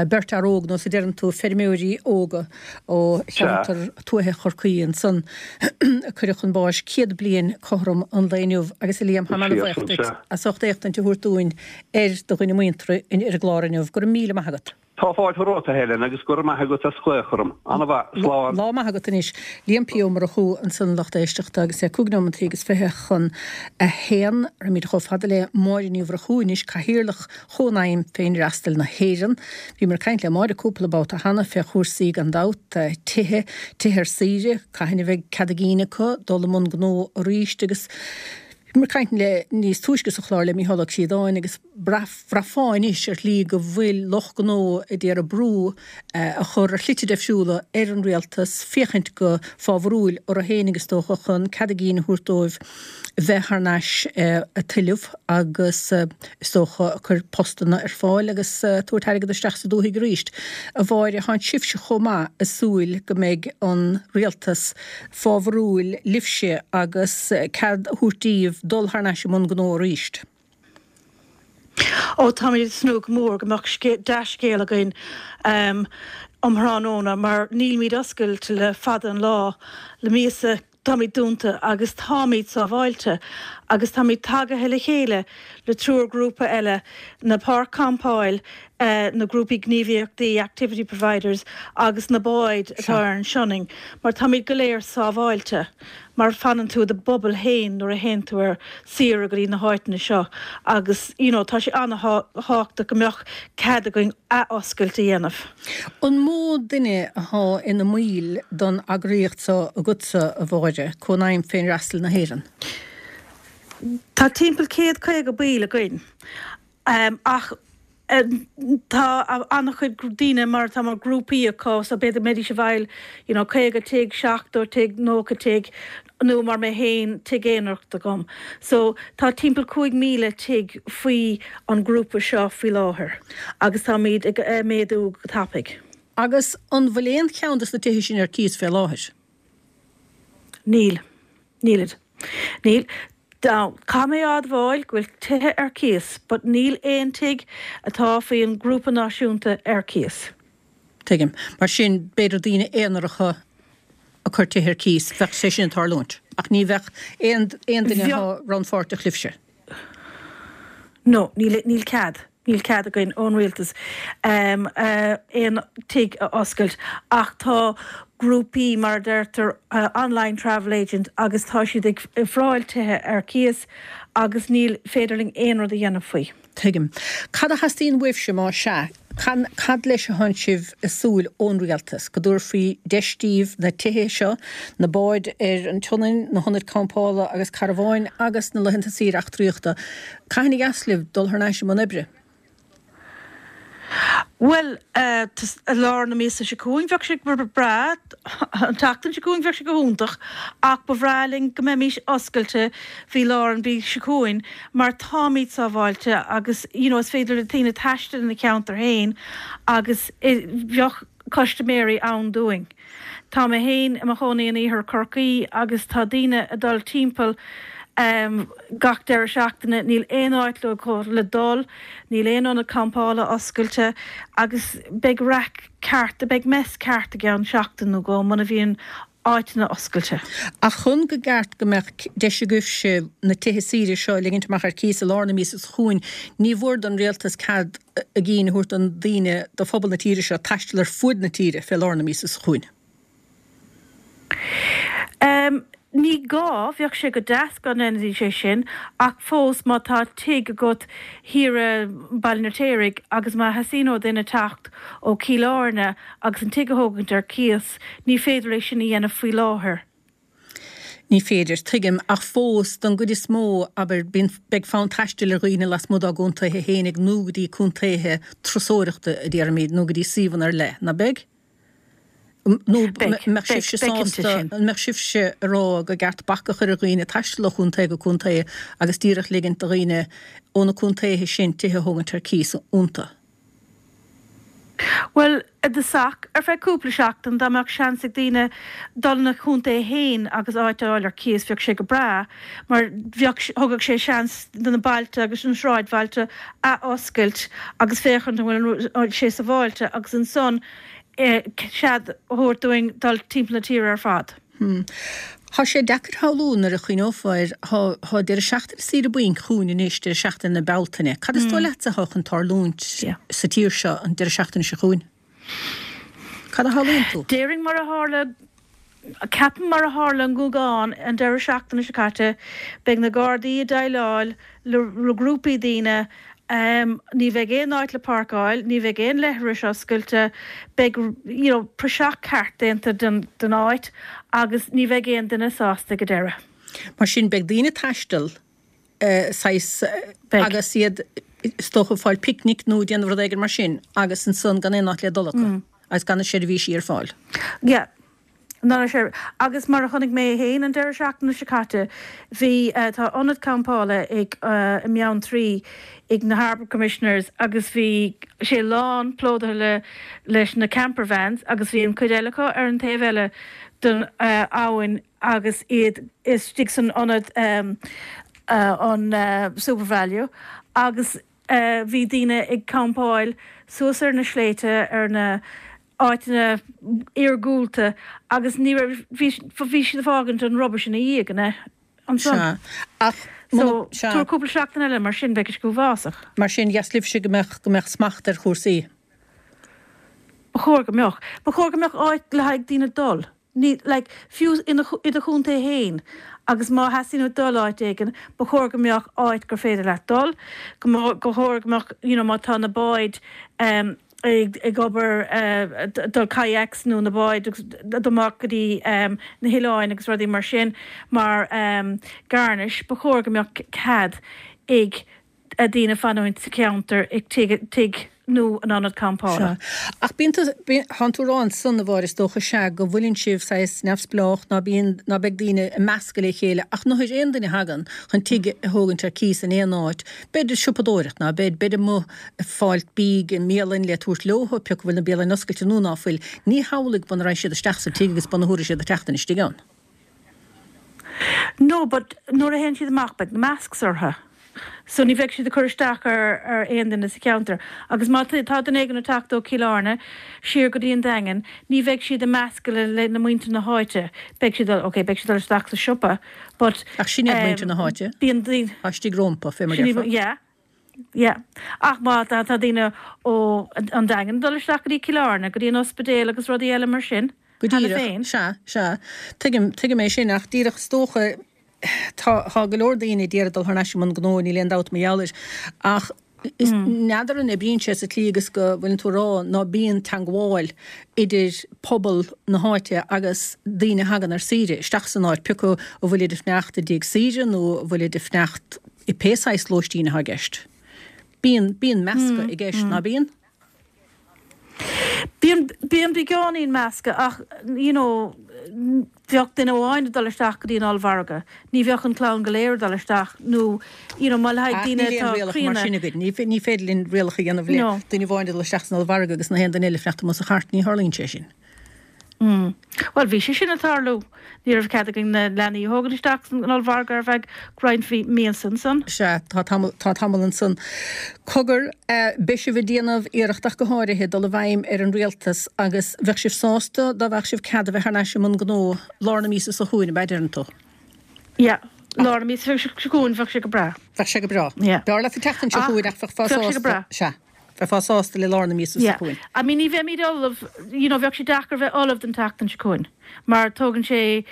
Beirt fhear óg, nós a deireann tú, feirmeoirí óga ó cheantar tuaithe Chorcaí ansan a cuireadh chun báis 100 bliain cothrom an lae inniu. Agus a Liam, táim ana-bhaoch duit as ucht éachtaint a thabhairt dúinn ar do dhuine muinteartha ar an gclár inniu. Go raibh míle maith agat. Tá fáilte romhat, a Helen, agus go raibh maith agat as glaoch orm. Ana-mhaith. Slán. Lá maith agat anois. Liam P. Ó Murchú ansan a lucht éisteachta agus é cúig nóimeantaí agus 21 chun a haon. Raghaimid chomh fada le Máire Ní Mhurchú anois, Cathaoirleach Chónaidhm Féinfhreastail na hÉireann. Bhíomar ag caint le Máire cúpla babhta cheana fé chúrsaí gan dabht, tithe, tithe ar saoire, cathain a bheidh cead a gcinn acu dul i mbun gnó arís agus bhíomar ag caint le níos túisce sa chlár le Mícheál Ó Críodáin agus Bhraithfeá anois ar shlí go bhfuil lucht gnó a d'iarraidh brú a chur ar shlite deifriúla ar an rialtas féachaint go fábharúil orthu fhéinig is dócha chun cead a gcinn a thabhairt dóibh bheith thar n-ais ag tuilleamh agus is dócha ag cur postanna ar fáil agus tabhairt airgead isteach sa dúthaigh arís. A Mháire, thánn sibhse chomh maith ag súil go mbeidh an rialtas fábharúil libhse agus cead a thabhairt díbh dul thar n-ais i mbun gnó arís. Ó, táimid ag tnúth go mór go mbeadh dea-scéal againn um thráthnóna mar nílimid oscailte le fada an lá, le míosa táimid dúnta agus táimid sábháilte agus táimid tagaithe le chéile le triúr grúpa eile, na páirc campáil, na grúpaí gníomhaíochtaí, activity providers, agus na báid atá ar an Sionainn mar táimid go léir sábháilte. mar fanann tú i do bubble féin nuair a théann tú ar saoire go dtí na háiteanna seo agus you know tá sé an-thábhachtach go mbeadh cead againn ath-oscailt a dhéanamh. An mó duine athá ina mbaill don eagraíocht seo agatsa, a Mháire, Cónaidhm Féinfhreastail na hÉireann? Tá timpeall 150 baill againn ach tá an-chuid daoine mar tá mar grúpaí acu so b'fhéidir go mbeidís ag fáil you know 50 tigh, 70 tigh, 90 tigh nó mar mé féin tigh aonarach agam. So tá timpeall 5,000 tigh faoi an grúpa seo faoi láthair agus táimid ag méadú go tapaidh. Agus an bhfuil aon cheann de na tithe sin ar cíos fé láthair? Níl. Nílid. Níl. Now, caithfidh mé a admháil go bhfuil tithe ar cíos, but níl aon tigh atá faoi an ngrúpa náisiúnta ar cíos. Tuigim. Mar sin, b'fhéidir daoine aonaracha ag cur tithe ar cíos, bheadh sé sin ag tarlúint. Ach ní bheadh aon aon duine atá rannpháirteach libhse. No, níl, níl cead. Níl cead againn ón rialtas aon tigh a oscailt ach tá grúpaí, mar a deirtear, online travel agent agus tá siad ag ofráil tithe ar cíos agus níl féidir linn aon rud a dhéanamh faoi. Tuigim. Cad a theastaíonn uaibhse, má sea? Cad leis atánn sibh ag súil ón rialtas? Go dtabharfaí deis daoibh na tithe seo, na báid ar an tSionainn, na hionaid campála agus carbháin agus na laethanta saoire eachtraíochta, Cathain a dheas libh dul thar n-ais i mbun oibre? Bhuel, i lár na míosa seo chugainn bheadh sé go breá, an tseachtain seo chugainn bheadh sé go hiontach, ach ba bhreá linn go mbeimis oscailte faoi lár an mhí seo chugainn mar táimid sábháilte agus you know is féidir le daoine taisteal ina cheantar féin agus bheadh custaiméirí ann dúinn. Tá mé féin i mo chónaí in iarthar Chorcaí agus tá daoine ag dul timpeall gach deireadh seachtaine, níl aon áit leo le dul, níl aon ionad campála oscailte agus beidh raic ceart, beidh mess ceart i gceann seachtain nó dhó muna bhíonn áiteanna oscailte. Ach chun go gceart go mbeadh deis agaibhse na tithe saoire seo a ligint amach ar cíos i lár na míosa seo chugainn, ní mhór don rialtas cead a gcinn a thabhairt don daoine, do phobal na tíre seo, taisteal ar fuaid na tíre fé lár na míosa seo chugainn. Ní gá, bheadh sé go deas dá ndéanfaidís é sin, ach fós má tá tigh agat thiar i mBaile an Fheirtéaraigh agus má theastaíonn ó duine teacht ó Chill Airne agus an tigh a thógaint ar cíos, ní féidir é sin a dhéanamh faoi láthair. Ní féidir, tuigim, ach fós, don gcuid is mó, abair, bíonn, beidh fonn taistil ar dhaoine lasmuigh dá gcontaetha fhéinig nó go dtí contaetha turasóireachta, a déarfaimid, nó go dtí suíomhanna ar leith, ná beidh? Nó Beidh, mbeadh beidh, sibhse beidh cinnte sásta, sin. an mbeadh sibhse ag rá go gceart bac a chur ar dhaoine taisteal ó chontae go contae agus díreach ligint do dhaoine ó na contaetha sin tithe a thógaint ar cíos iontu? Bhuel, i dtosach, ar feadh cúpla seachtain, dá mbeadh seans ag daoine dul ina gcontae féin agus áit a fháil ar cíos, bheadh sé go breá, mar bheadh, thugadh sé seans do na bailte agus na sráidbhailte a oscailt agus féachaint an bhfuil sé sábháilte agus ansan cead a thabhairt dúinn dul timpeall na tíre ar fad. Hmm. Thá sé deacair shamhlú nuair a chuimhneofá air, thá, thá deireadh seachtaine saoire bainc chugainn anois, deireadh seachtaine na Bealtaine. Cad is dóigh leatsa athá chun tarlúint sa tír seo an deireadh seachtaine seo chugainn? Cad a shamhlaíonn tú? Déarfainn mar a tharla, ceapaim mar a tharla i nGúgán an deireadh seachtaine seo caite, beidh na Gardaí ag déileáil le grúpaí daoine Ní bheidh aon áit le páirceáil, ní bheidh aon leithris oscailte, beidh you know praiseach ceart déanta den den áit agus ní bheidh aon duine sásta ag an deireadh. Mar sin beidh daoine ag taisteal saghas agus iad is dócha ag fáil picnic nó ag déanamh rud éigin mar sin agus ansan gan aon áit le dul acu agus gan na seirbhísí ar fáil. Yeah. Ná sé. Agus mar a chonaic mé féin an deireadh seachtaine seo caite, bhí, tá ionad campála ag, i mBeanntraí ag na Harbour Commissioners agus bhí sé lán plódaithe le, leis na camper vans agus bhí an cuid eile acu ar an taobh eile den abhainn agus iad istigh san ionad an Supervalu agus bhí daoine ag campáil suas ar na sléibhte ar na áiteanna iargúlta agus ní raibh, bhí, bhí siad ag fágaint an rubbish ina dhiaidh, an ea? Ansan. Sea. Ach So, muna, sea. tabhair cúpla seachtain eile, mar sin, beidh sé go huafásach. Mar sin, dheas libhse go mbeadh, go mbeadh smacht ar chúrsaí. Ba chóir go mbeadh. Ba chóir go mbeadh áit le haghaidh daoine dul. Ní, like, fiú ina, i do chontae féin agus má theastaíonn uait dul áit éigin, ba chóir go mbeadh áit gur féidir leat dul, go mba, go chóir go mbeadh, you know, má tá na báid, em. Ag obair, dul kayaks nó na báid agus dul amach go dtí na hoileáin agus rudaí mar sin mar Garnish, ba chóir go mbeadh cead ag daoine fanúint sa cheantar ag tigh nó in ionad campála. Sea. Ach bíonn tú, thánn tú a rá ansan, a Mháire, is dócha, sea, go bhfuileann sibh saghas neamhspleách, ná bíonn, ná beidh daoine ag meascadh le chéile, ach nuair aon duine a thagann chun tigh a thógaint ar cíos in aon áit, beid ag siopadóireacht, ná beid, beid amuigh ag fáilt bídh i mbialainn le tabhairt leothu, pé acu bhfuil na bialainn oscailte nó ná fuil. Ní hamhlaidh muna raghaidh siad isteach sa tigh agus bun a thabharfaidh siad an tseachtain istigh ann. No, but nuair a théann siad amach beidh na masks orthu. So ní bheidh siad ag cur isteach ar ar aon duine sa cheantar. Agus má tá duine éigin ag teacht ó Cill Airne siar go dtí an Daingean, ní bheidh siad ag meascadh le le na muintir na háite. Beidh siad dul, ok, beidh siad dul isteach sa siopa, but Ach sin iad muintir na háite. bíonn daoine. Tá istigh rompu, fé mar déarfá. Yeah. Yeah. Ach má tá daoine ó an Daingean ag dul isteach go dtí Cill Airne, go dtí an ospidéal agus rudaí eile mar sin, Go cheana díreach, féin. sea, sea. Tuigim, tuigim é sin, ach díreach is dócha, tá, tá go leor daoine a d'iarraidh dul thar n-ais i mbun gnó, níl aon dabht mar gheall air, ach is, n'fheadar an oibríonn sé sa tslí agus go bhfuileann tú a rá ná bíonn teangmháil idir pobal na háite agus daoine a thagann ar saoire isteach san áit, pé acu a bhfuilid ag fanacht i dtigh saoire nó a bhfuilid ag fanacht i pé saghas lóistín atá i gceist. Bíonn, bíonn meascadh i gceist, ná bíonn? Bíonn, bíonn beagáinín meascadh ach, you know, bheadh duine amháin ag dul isteach go dtí an ollmhargadh, ní bheadh an clann go léir ag dul isteach nó, you know, má le haghaidh Ach daoine níl aon atá rialacha mar críonna. sin againn. Ní, ní féidir linn rialacha a dhéanamh le No. duine amháin ag dul isteach san ollmhargadh agus na haon duine eile ag fanacht amuigh sa chairt, ní tharlaíonn sé sin. Bhuel, bhí sé sin ag tarlú. Ní raibh cead againn na leanaí a thógaint isteach san ollmhargadh ar feadh roinnt míosa ansan. Sea, tá tamall, tá tamall ansan. Cogar, beidh sibh ag déanamh iarracht ach go háirithe dul i bhfeidhm ar an rialtas agus bheadh sibh sásta dá bhfaigheadh sibh cead a bheith thar n-ais i mbun gnó lár na míosa seo chugainn, ab ea, deireann tú? Yeah, lár na míosa seo chugainn, bheadh sé go breá. Bheadh sé go breá. Yeah. B'fhearr leat an tseachtain seo chugainn ach bheifeá Bheadh sé go sásta, breá. sea. Bheifeá sásta le lár na míosa seo Yeah. chugainn. I mean ní bheimid ullamh, you know, bheadh sé deacair bheith ullamh don tseachtain seo chugainn mar tógann sé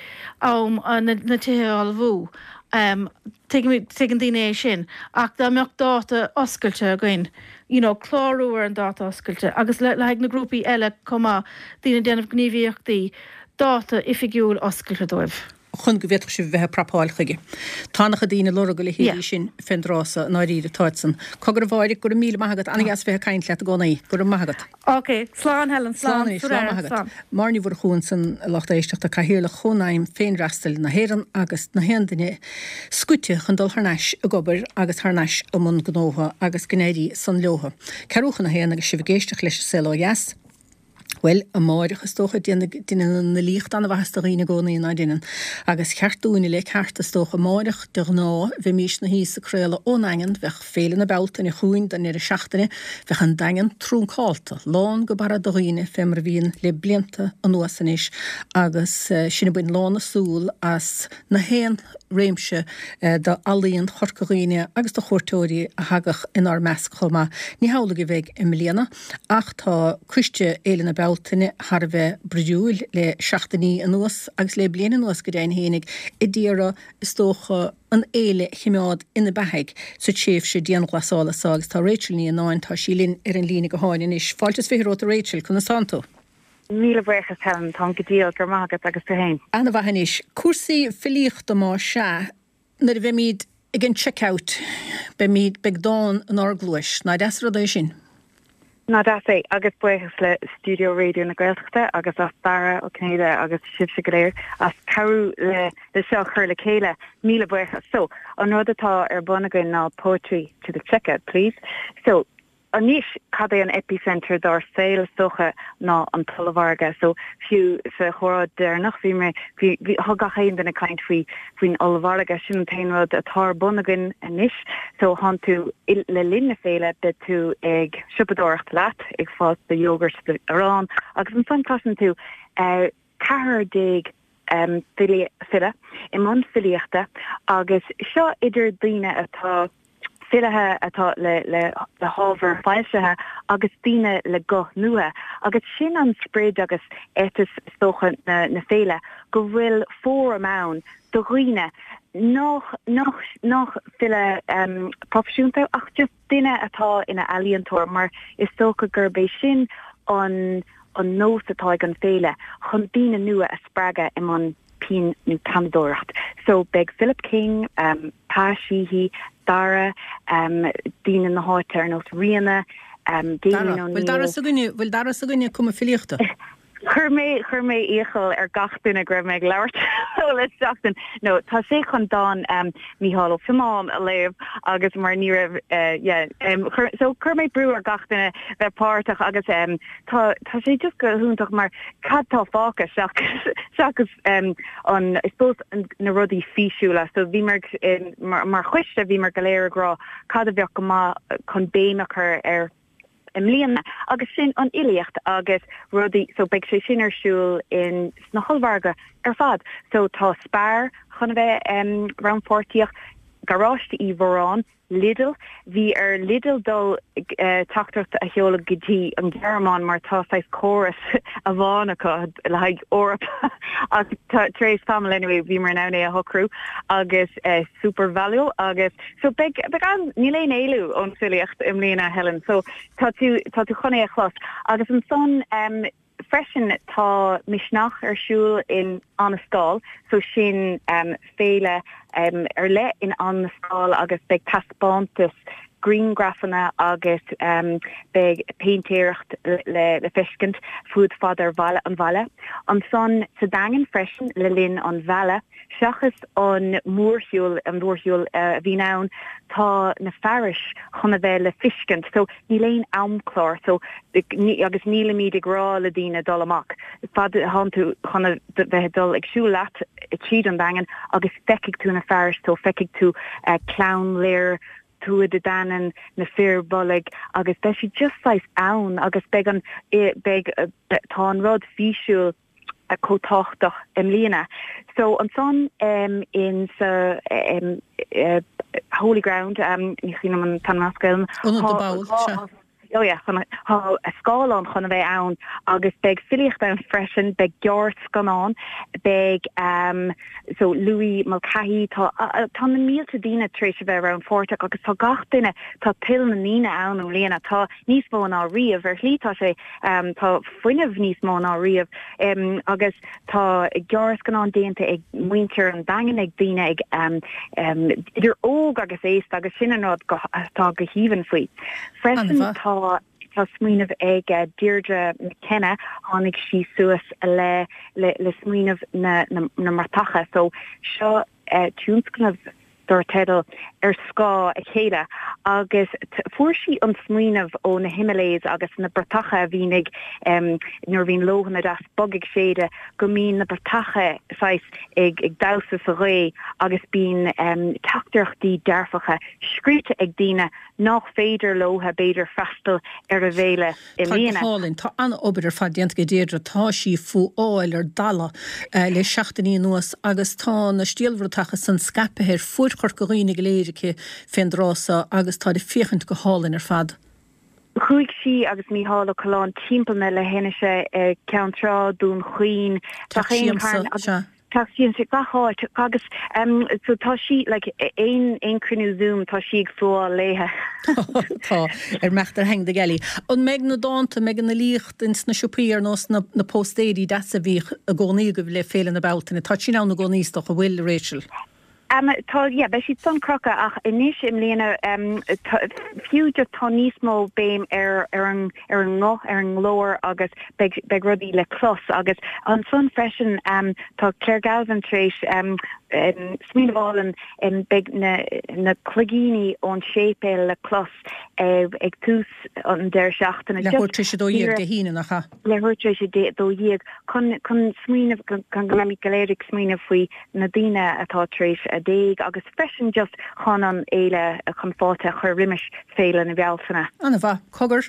am na, na tithe a ullmhú. Um, tuigim, tuigeann daoine é sin. Ach dá mbeadh dáta oscailte againn, you know, clárú ar an dáta oscailte agus le, le haghaidh na grúpaí eile chomh maith, daoine ag déanamh gníomhaíochtaí, dáta oifigiúil oscailte dóibh. chun go bhféadfadh sibh a bheith ag prapáil chuige. Tá an-chuid daoine ag lorg a Yeah. leithéidí sin fén dtráth so, i ndáiríre, táid san. Cogar a Mháire, go raibh míle maith agat, an-dheas bheith ag caint leat i gcónaí. Go raibh maith agat. Ok, slán Helen, Slán slán, anois, slán maith agat. slán. Máire Ní Mhurchú ansan, a lucht éisteachta, Cathaoirleach Chónaidhm Féinfhreastail na hÉireann agus na haon duine scoite chun dul thar n-ais ag obair agus thar n-ais i mbun gnótha agus go n-éirí san leotha. Ceathrú chun a haon agus sibh ag éisteacht leis an Saol Ó Dheas. Bhuel, amáireach, is dócha, deineann an fhilíocht an-mhaitheas do dhaoine i gcónaí, ná deineann? Agus cheart dúinne, le ceart, is dócha. Amáireach, de ghnáth, bheimís 'na shuí is ag craoladh ón nDaingean, bheadh Féile na Bealtaine chugainn don ndeireadh seachtaine, bheadh an Daingean trúncálta, lán go barra de dhaoine, fé mar a bhíonn le blianta anuas anois, agus sinn ag baint lán na súl as na haon réimse d'ealaíon Chorca Dhuibhne agus de chuairteoirí a thagadh inár measc chomh maith. Ní hamhlaidh a bheidh i mbliana. Ach tá coiste Fhéile na Bealtaine thar a bheith brúidiúil le seachtainí anuas, agus le bliain anuas go deimhin fhéinig, a d'iarraidh, is dócha, an fhéile a chimeád ina beathaidh sa tréimhse dianghlasála so. Agus tá Rachel Ní Annáin, tá sí linn ar an líne gutháin anois. Fáilte is 20 romhat a Rachel, conas tánn tú? Míle buíochas Helen, táim go diail, go raibh maith agat, agus tú fhéin? Ana-mhaith anois. Cúrsaí filíochta más ea, Nuair a bheimid ag an check-out, beimid, beidh dán inár gcluais. Ná deas an rud é sin? Ná deas é, agus buíochas le Stiúideo Raidió na Gaeltachta agus as Dara Ó Cinnéide agus sibhse go léir as cabhrú le le seo a chur le chéile. Míle buíochas. So, an rud atá ar bun againn ná Poetry to the Checkout, please. So, Anois, cad é an epicenter dár saol is dócha ná an t-ollmhargadh. So, fiú sa chomhrá deireanach bhí mé, bhí, bhí, thug gach aon duine caint faoi, faoin ollmhargadh. Sin an t-aon rud atá ar bun againn anois. So, thánn tú, le linn na féile, beidh tú ag siopadóireacht leat, ag fáil do yogurt, do arán agus ansan cloiseann tú eh 14 file, file i mbun filíochta agus seo idir daoine atá filithe atá le le le hábhar foilsithe agus daoine le guth nua agus sin an sprid agus ethos is dócha na na féile go bhfuil fóram ann do dhaoine. Nach, nach, nach file proifisiúnta ach just duine atá ina ealaíontóir mar is dócha gurb é sin an an nós atá ag an féile, chun daoine nua a spreagadh i mbun pinn nó peannadóireacht. So beidh Philip King, Pa Sheehy, Dara, daoine na háite ar nós Ríona, Dara, bhfuil Dara s'againne, bhfuil Dara s'againne ag cumadh filíochta? Chuir mé, chuir mé iachall ar gach duine go raibh mé ag labhairt leo le seachtain. No, tá sé chun dán Mícheál Ó Fionnáin a léamh agus mar ní raibh, yeah, chuir, so chuir mé brú ar gach duine bheith páirteach agus tá, tá sé just go hiontach mar cad tá fágtha seachas, seachas an, I suppose, na rudaí físiúla. So bhíomar, mar, mar choiste bhíomar go léir ag rá cad a bheadh go maith chun béim a chur ar, i mbliana agus sin an fhilíocht agus rudaí so beidh sé sin ar siúl in sna hollmhargaidh ar fad so tá Spar chun a bheith em rannpháirtíoch, Garáiste Uí Mhóráin, Lidl, bhí ar Lidl dul eh teachtaireacht a sheoladh go dtí an Ghearmáin mar tá saghas córas amháin acu le haghaidh Eoraip ach tar éis tamaill anyway bhíomar in ann é a shocrú agus eh SuperValu agus So beidh, beidh an, níl aon éalú ón filíocht i mbliana, Helen, so tá tú, tá tú chun é a chlos. Agus ansan em freisin tá Misneach ar siúl in Annascaul, so sin em féile em ar leith in Annascaul agus beidh taispeántas grianghrafanna agus em beidh péintéireacht le, le feiscint fuaid fad ar bhaile, an bhaile. Ansan sa Daingean freisin le linn an Mheala, Seachas an mórshiúl, an mhórshiúl a bhíonn ann, tá na fearais chun a bheith le fiscint. So níl aon amchlár. So agus nílimid ag rá le daoine dul amach. Fad thánn tú chun a bheith ag dul ag siúl leat tríd an Daingean agus feicfidh tú na fearais. So feicfidh tú Clann Lir, Tuatha Dé Danann, na Fir Bolg agus beidh siad just saghas ann agus beidh an, beidh, tá an rud físiúil. chomh tábhachtach i mbliana. So ansan in sa Holy Ground, ní cuimhin liom an t-ainm as Gaelainn. Ionad na bPoll, sea. Oh yeah, tá scáileán chun a bheith ann agus beidh filíocht ann freisin, beidh gearrscannán, beidh so Louis Mulcahy, tá tá na mílte daoine tar éis a bheith rannpháirteach agus tá gach duine, tá toil na ndaoine ann i mbliana, tá níos mó ná riamh, ar shlí tá sé, tá fuinneamh níos mó ná riamh agus tá gearrscannán déanta ag muintir an Daingin, ag daoine ag idir óg agus aosta agus sin an rud atá go haoibhinn faoi. Freisin tá tá smaoineamh ag Deirdre McKenna, tháinig sí suas le le smaoineamh na na mbratacha so seo tionscnamh dar teideal Ar Scáth a Chéile agus fuair sí an smaoineamh ó na Himalayas agus na bratacha a bhíonn ag, nuair a bhíonn leoithne deas bog ag séideadh, go mbíonn na bratacha saghas ag damhsa sa ghaoth agus bíonn teachtaireachtaí dearfacha scríte ag daoine nách féidir leo b'fhéidir freastal ar an bhféile. i Tá go hálainn. Tá an-obair ar fad déanta ag Deirdre. Tá sí fuáil ar dalladh le seachtainí anuas agus tá na stiallbhratacha san scaipthe ar fuaid Chorca Dhuibhne go léir aici fén dtráth so agus táid ag féachaint go hálainn ar fad. Chuaigh sí agus Mícheál Ó Coileáin timpeall na leithinise, Ceann Trá, Dún Chaoin, Teach Siamsa, sea. Teach Siamsa, gach áit agus so tá sí like aon aon cruinniú Zoom tá sí ag fuáil léithe. Tá, ar mbeacht ar Hang the Galley. An mbeidh na dánta, an mbeidh an fhilíocht ins na siopaí ar nós na na póstaeirí deasa a bhíodh i gcónaí agaibh le Féile na Bealtaine? Tá sin ann i gcónaí is dócha, an bhfuil, Rachel? Tá, yeah, beidh siad san crochadh ach anois i mbliana tá, fiú just tá níos mó béim ar ar an ar an nguth, ar an nglór agus beidh beidh rudaí le clos agus ansan freisin tá Claire Galvin tar éis smaoineamh álainn, beidh na na cloigíní ón séipéal le clos ag tús an deireadh seachtaine. Leathuair tar éis 12 Dé hAoine, nach ea? Leathuair tar éis 12 chun chun smaoineamh chun go mbeimid go léir ag smaoineamh faoi na daoine atá tar éis a d'éag agus freisin just chun an fhéile, chun fáilte a chur roimis Féile na Bealtaine. Ana-mhaith. Cogar,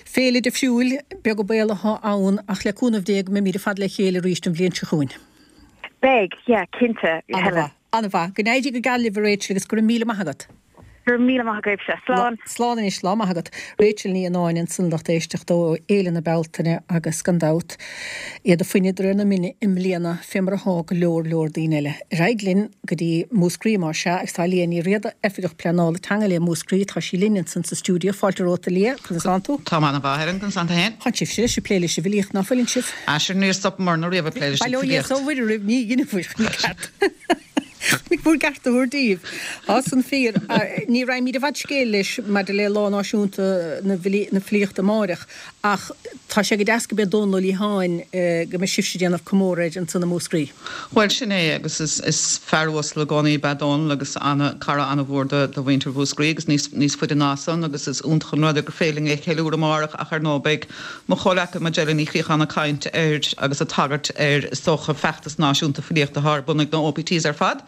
féile difriúil, beag an baol atá ann ach le cúnamh Dé go mbeimid ar fad le chéile arís an bhliain seo chugainn. Beidh, yeah, cinnte, Helen. Ana-mhaith. Ana-mhaith. Go n-éirí go geal libh a Rachel agus go raibh míle maith agat. Go raibh míle maith agaibhse. Slán. Slán anois, lá maith agat. Rachel Ní Annáin ansan lucht éisteachta ó Fhéile na Bealtaine agus gan dabht iad ag fuineadh de réir na mine i mbliana fé mar athá go leor leor daoine eile. Ar aghaidh linn go dtí Múscraí más ea agus tá Liadh Ní Riada, Oifigeach Pleanála Teanga le Múscraí, tá sí linn ansan sa stiúideo. Fáilte romhat a Liadh, conas tánn tú? Táim ana-mhaith, Helen, conas tánn tú fhéin? Tánn sibhse leis ag plé leis an bhfilíocht, ná fuileann sibh? Ah sure níor stopamarna riamh ag plé leis an Bail ó Dhia bhfilíocht. 's ó Mhuire oraibh, ní dheineabhair, ní ceart. Ní bhur gceart a thabhairt daoibh. Tá san fíor. Ní raghaimid i bhfad scéil leis maidir le Lá Náisiúnta na Filíochta amáireach ach tá sé go deas go b'é Dónal Ó Liatháin go mbeidh sibhse ag déanamh comóradh air ansan i Múscraí. Bhuel, sin é agus is fear uasal i gcónaí ab ea Dónal agus ana, cara ana-mhór do mhuintir Mhúscraí agus níos, níos faide ná san agus is iontach an rud é gur féidir linn é a cheiliúradh amárach ach ar ndóigh beidh Mo chomhleacaí Majella Ní Chríocháin ag caint ar agus ag tagairt ar is dócha feachtas náisiúnta filíochta atá ar bun ag na OPTs ar fad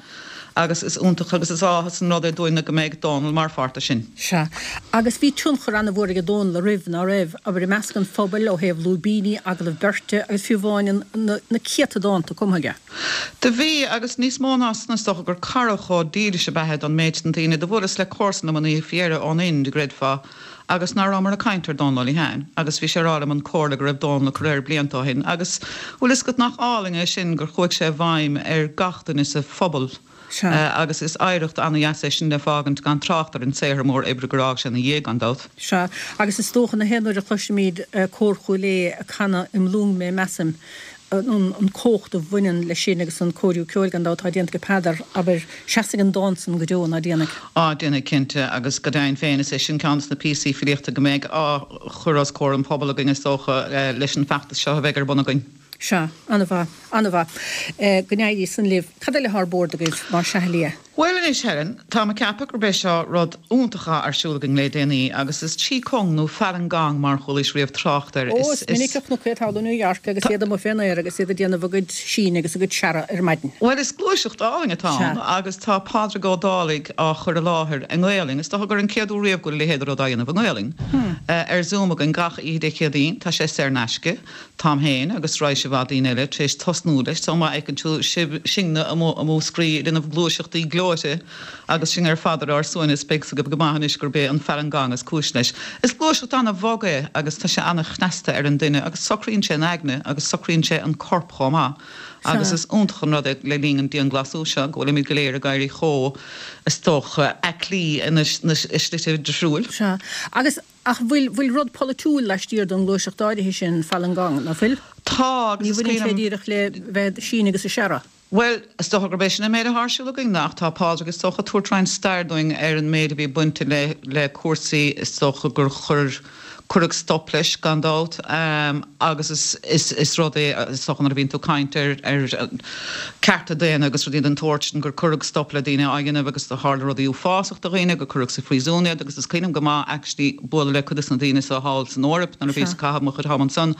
agus is iontach agus is áthas an rud é dúinne go mbeidh Dónal mar pháirt de sin. Sea. Agus bhí tionchar an-mhór aige Dónal ariamh, ná raibh? Abair i measc an phobail, ó thaobh lúibíní, agallamh beirte agus fiú amháin an na céadta dánta cumtha aige. Do bhí, agus níos mó ná san is dócha gur cara chomh dílis ab ea é don méid san daoine. Do bhuaileas le comharsan liom an oíche faoi dheireadh ón Ind, an gcreidfeá, agus ná rabhamar ag caint ar Dónal Ó Liatháin agus bhí sé ag rá liom an comhairle go raibh Dónal ag cur air blianta ó shin agus bhfuil fhios agat nach álainn é sin gur chuaigh sé i bhfeidhm ar gach duine sa phobal agus is oidhreacht ana-dheas é sin le fágaint gan trácht ar an saothar mór oibre gur fhág sé ina dhiaidh gan dabht. Sea, agus is dócha na haon uair a chloisimid Cór Chúil Aodha ag canadh Im Lung Mé Measaim an cumhacht a bhaineann leis sin agus an cóiriú ceoil gan dabht atá déanta ag Peadar, abair, seasfaidh an dán san go deo, ná déanfaidh? Á, déanfaidh cinnte, agus go deimhin féin is é sin ceann de na píosaí filíochta go mbeidh á chur os comhair an phobail againn is dócha leis an bhfeachtas seo a bheidh ar bun againn. Sea, an-mhaith, an-mhaith. Go n-éirí san libh. Cad eile atá ar bord agaibh, más ea, a Liadh? Bhuel anois Helen, táim ag ceapadh gurb é seo rud iontach atá ar siúl againn le déanaí agus is Chi Kung nó Falun Gong mar chualaís riamh trácht air. Ó, is minic a chonac iad thall i New York agus iad amuigh fén aer agus iad ag déanamh a gcuid síneadh agus a gcuid searradh ar maidin. Bhuel is gluaiseacht álainn atá ann agus tá Pádraig Ó Dálaigh á chur i láthair i nGaelainn, is dócha gur an chéad uair riamh go bhfuil a leithéid de rud á dhéanamh i nGaelainn, ar Zoom againn gach oíche Dé Céadaoin, tá sé saor in aisce. Táim féin agus raidhse mhaith daoine eile tar éis tosnú leis so má fheiceann tú sibh, sinne amuigh i Múscraí ag déanamh gluaiseachtaí gleoite agus sinn ar fad ar ár suaimhneas beidh 's agaibh go maith anois gurb é an Falun Gong is cúis leis. Is gluaiseacht an-bhog é agus tá sé an-chneasta ar an duine agus socraíonn sé an aigne agus socraíonn sé an corp chomh maith agus is iontach an rud é le linn an dianghlasáil seo go bhfuilimid go léir ag éirí chomh, is dócha, aclaí ina slite difriúil. Sea. Agus Ach bhfuil, bhfuil rud polaitiúil laistiar den ghluaiseacht áirithe sin, Falun Gong, ná fuil? Tá, agus Ní is bhaineann sé cuimhin liom. díreach le bheith ag síneadh agus ag searradh. Bhuel, is dócha gurb é sin an méid atá ar siúl againn, ach tá Pádraig is dócha ag tabhairt roinnt stair dúinn ar an méid a bhí bainte le, le cúrsaí, is dócha gur chuir, cuireadh stop leis, gan dabht, agus is, is, is rud é, is dócha nuair a bhíonn tú ag caint ar, ar cearta daonna agus rudaí den tsórt sin, gur cuireadh stop le daoine á dhéanamh agus do tharla rudaí uafásach do dhaoine, gur cuireadh sa phríosún iad agus is cuimhin liom go maith actually bualadh le cuid des na daoine so thall san Eoraip nuair a bhíos ag caitheamh mo chuid am ansan.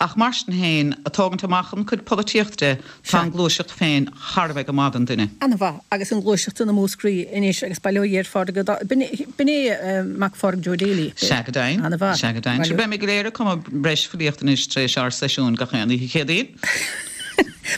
Ach mar sin féin, ag tógaint amach an chuid polaitíocht de, tá an gluaiseacht féin thar a bheith go maith don duine. Ana-mhaith. Agus an ghluaiseacht san i Múscraí anois agus bail ó Dhia ar Phádraig Ó Dá-, b'in é mac Phádraig Joe Daly? Sea go deimhin. Ana-mhaith. Sea go deimhin. Sure beimid go léir ag cumadh breis filíochta anois tar éis ár seisiúin gach aon oíche Chéadaoin.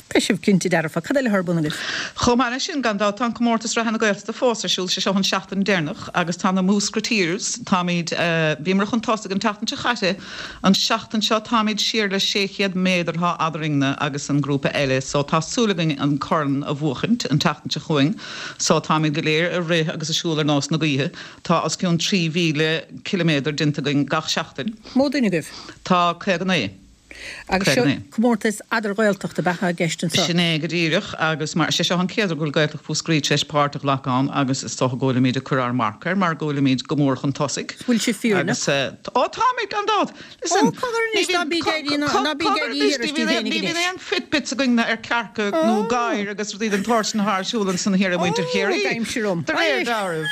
Beidh sibh cinnte dearfa. Cad eile atá ar bun agaibh? Chomh maith leis sin, gan dabht, tá an comórtas reatha na Gaeltachta fós ar siúl, sé seo an seachtain deireanach agus tá na Múscrateers, táimid, bhíomar chun tosaigh an tseachtain seo chaite, an seachtain seo táimid siar le 600 méadar atá eadrainne agus an grúpa eile so tá súil againn an corn a bhuachaint an tseachtain seo chugainn so táimid go léir ag rith agus ag siúl ar nós na gaoithe. Tá os cionn 3,000 ciliméadar déanta againn gach seachtain. Mó duine agaibh? Tá 59. Agus seo comórtas eadar-Ghaeltacht ab ea atá i gceist anseo? Sin é go díreach agus mar, sé seo an chéad uair go bhfuil Gaeltacht Mhúscraí tar éis páirt a ghlacadh ann agus is dócha go bhfuilimid ag cur ár marc air mar go bhfuilimid go mór chun tosaigh. Bhfuil sibh fírinneach? Agus, ó táimid gan dabht! Listen, Ó, cogar anois, ná bí ag éirí, ná bí ag éirí thiar istigh féinig ní bhíonn aon Fitbits againn ar cearca nó gadhair agus rudaí den tsórt sin atá ar siúl ansan thiar ag muintir Chiarraí. Ó, aimsir dom. De réir dealraimh.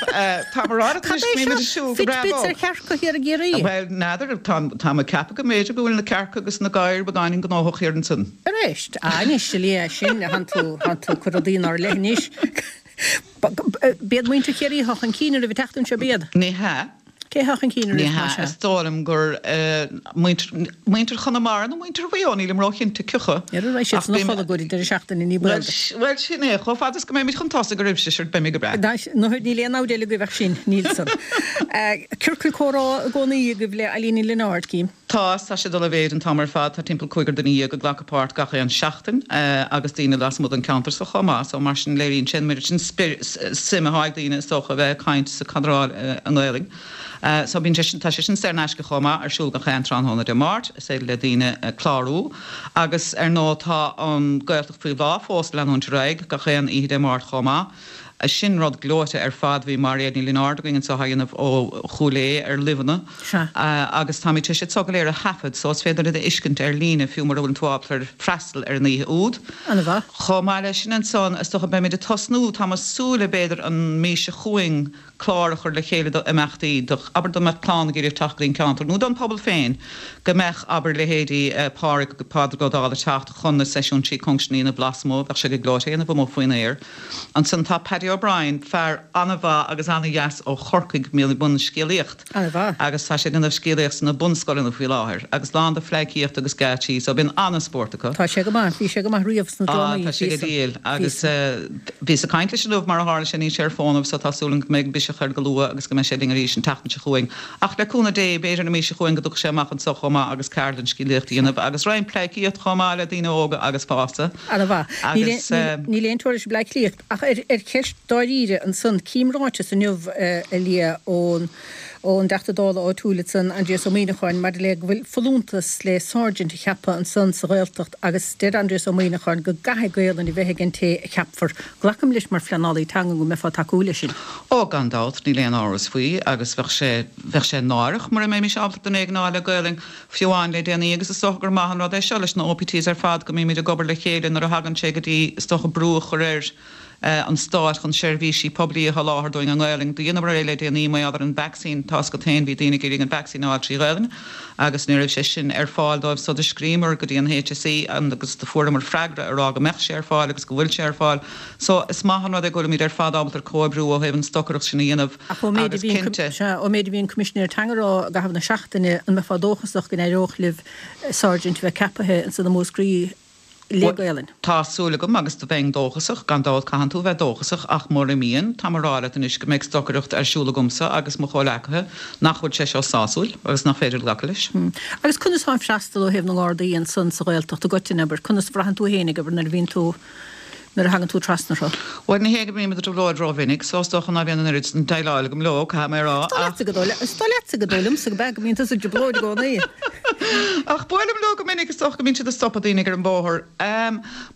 Tá mé ag rá leat Cad anois é go mbímid seo? ag siúl go breá Fitbits bog. ar chearca thiar i gCiarraí? Bhuel, n'fheadar, tá mé ag ceapadh go mb'fhéidir go bhfuil na cearca agus na gadhair beagáinín gnóthach thiar ansan. Arís? Ah, anois, a Liadh, sin, thánn tú, thánn tú ag cur rudaí inár leith anois. B'iad muintir Chiarraí atá chun cinn oraibh an tseachtain seo, b'iad? Ní hea. Cé atá chun cinn Ní arís, más hea, ea? is dóigh liom gur muintir Chonamara nó muintir Mhaigh Eo, nílim róchinnte cioca. Ar a raibh siad Ach san a beidh mé. chodladh go dtí deireadh seachtaine, ní baol Bhuel, duit. bhuel, sin é, chomh fada is go mbeimid chun tosaigh oraibhse, sure, beimid go breá. Níl aon namhaid eile agaibh ach sinn, níl san. Ciorcal comhrá i gcónaí agaibh le Eilín Ní Lionáird, cím. Tá, is tá sé ag dul i mhéid an t-am ar fad. Tá timpeall cúigear duine dhéag ag glacadh páirt gach aon seachtain agus daoine lasmuigh den cheantar so chomh maith. So mar sin léiríonn sé an méid sin suim atá ag daoine is dócha a bheith ag caint is ag cadráil i nGaelainn. So bíonn sé sin, tá sé sin saor in aisce chomh maith, ar siúl gach aon tráthnóna Dé Máirt. Is féidir le daoine clárú. Agus ar ndóigh tá an Gaeltacht Faoi Bhláth fós ag leanúint ar aghaidh gach aon oíche Dé Máirt chomh maith. Sin rud gleoite ar fad. Bhí Mairéad Ní Lionáird againn anseo á dhéanamh ó Chúil Aodha ar luibheanna agus táimid tar éis iad so go léir a thaifead so is féidir iad a fheiscint ar líne fiú mura bhfuil tú ábalta freastal ar an oíche úd. An-mhaith. Chomh maith leis sin ansan is dócha beimid ag tosnú, tá mé ag súil le b'fhéidir an mí seo chugainn, clár a chur le chéile do imeachtaí, do, abair dá mbeadh clann ag iarraidh teacht go dtí an ceantar, nó don pobal féin, go mbeadh, abair, leithéidí Pádhraic, Pádraig Ó Dálaigh ag teacht chun na seisiúin sí Cunction a dhéanamh lasmuigh, bheadh sé go gleoite a dhéanamh amuigh faoin aer. Ansan tá Paddy O'Brien, fear an-mhaith agus an-dheas ó Chorcaigh, a bhíonn i mbun scéalaíocht. An-mhaith. Agus tá sé ag déanamh scéalaíocht sna bunscoileanna faoi láthair, agus lán de phleidhcíocht agus geáitsí, so bíonn an-spórt acu. Tá sé go maith, bhí sé go maith riamh sna Ah, drámaí, tá sé bhí go san, diail. bhí Agus san. bhíos ag caint leis inniu, mar a tharla sé, níl sé ar fónamh, so tá súil agam go mbeidh biseach air go luath agus go mbeidh sé linn arís an tseachtain seo chugainn. Ach le cúnamh Dé, b'fhéidir an mhí seo chugainn go dtiocfaidh sé amach anseo chomh maith agus ceardlann scéalaíochta a dhéanamh agus roinnt pleidhcíocht chomh maith le daoine óga agus fásta. An-mhaith. Níl Agus. níl aon teora leis an Bleá Cliath. Ach ar cheist dáiríre ansan, cím ráiteas inniu, a Liadh, ón ón dTeachta Dála áitiúil ansan, Aindrias Ó Muimhneacháin, maidir le go bhfuil folúntas le Sergeant a cheapadh ansan sa Ghaeltacht agus deir Aindrias Ó Muimhneacháin go gcaithfidh Gaolainn a bheith ag an té a cheapfar. Glacaim leis mar phleanálaí teanga go mbeifeá ag tacú leis sin. Ó, gan dabht, níl aon amhras faoi agus bheadh sé, bheadh sé náireach mura mbeimis ábalta duine éigin a fháil le Gaolainn. Fiú amháin le déanaí, agus is dócha gur maith an rud é seo leis na OPTs ar fad go mbímid ag obair le chéile nuair a thagann sé go dtí, is dócha, brú a chur ar an Stát chun seirbhísí poiblí a sholáthar dúinn i nGaelainn. Do dheineamar é le déanaí mar gheall ar an vacsaín, tá's agat féin, bhí daoine ag iarraidh an vacsaín a fháil trí Ghaelainn agus ní raibh sé sin ar fáil dóibh so do scríomar go dtí an HSE agus do fuaireamar freagra a rá go mbeadh sé ar fáil agus go bhfuil sé ar fáil. So is maith an rud é go bhfuilimid ar fad ábalta comhoibriú ó thaobh an stocaireacht sin a dhéanamh. Ach ón méid a Agus bhí an, cinnte. sea, ón méid a bhí an Coimisinéir Teanga a rá i gcaitheamh na seachtaine, an mbeifeá dóchasach go n-éireodh libh Sergeant a bheith ceapaithe ansan i Múscraí le Bhuel, Gaelainn? tá súil agam agus do bheinn dóchasach, gan dabht caitheann tú a bheith dóchasach ach mura mbíonn, táim a rá leat anois go mbeidh stocaireacht ar siúl agamsa agus mo chomhleacaithe nach bhfuil sé seo sásúil agus nach féidir glacadh leis. Agus conas tá an freastal ó thaobh na nGardaí ansan sa Ghaeltacht i gcoitinne, abair, conas a bhraitheann tú féinig, abair, nuair a bhíonn tú, nuair a thagann tú trasna orthu. Bhuel, ní hé go mbím i dtrioblóid rómhinic, so is dócha ná bíonn an oiread sin déileáil agam leo, caithfidh mé a rá, Is dóigh ach. leatsa go dóigh, is dóigh leatsa go dóigh liomsa go b'ea go mbíonn tusa i dtrioblóid i gcónaí. Ach buailim leo go minic, is dócha go mbíonn siad ag stopadh daoine ar an bhóthar.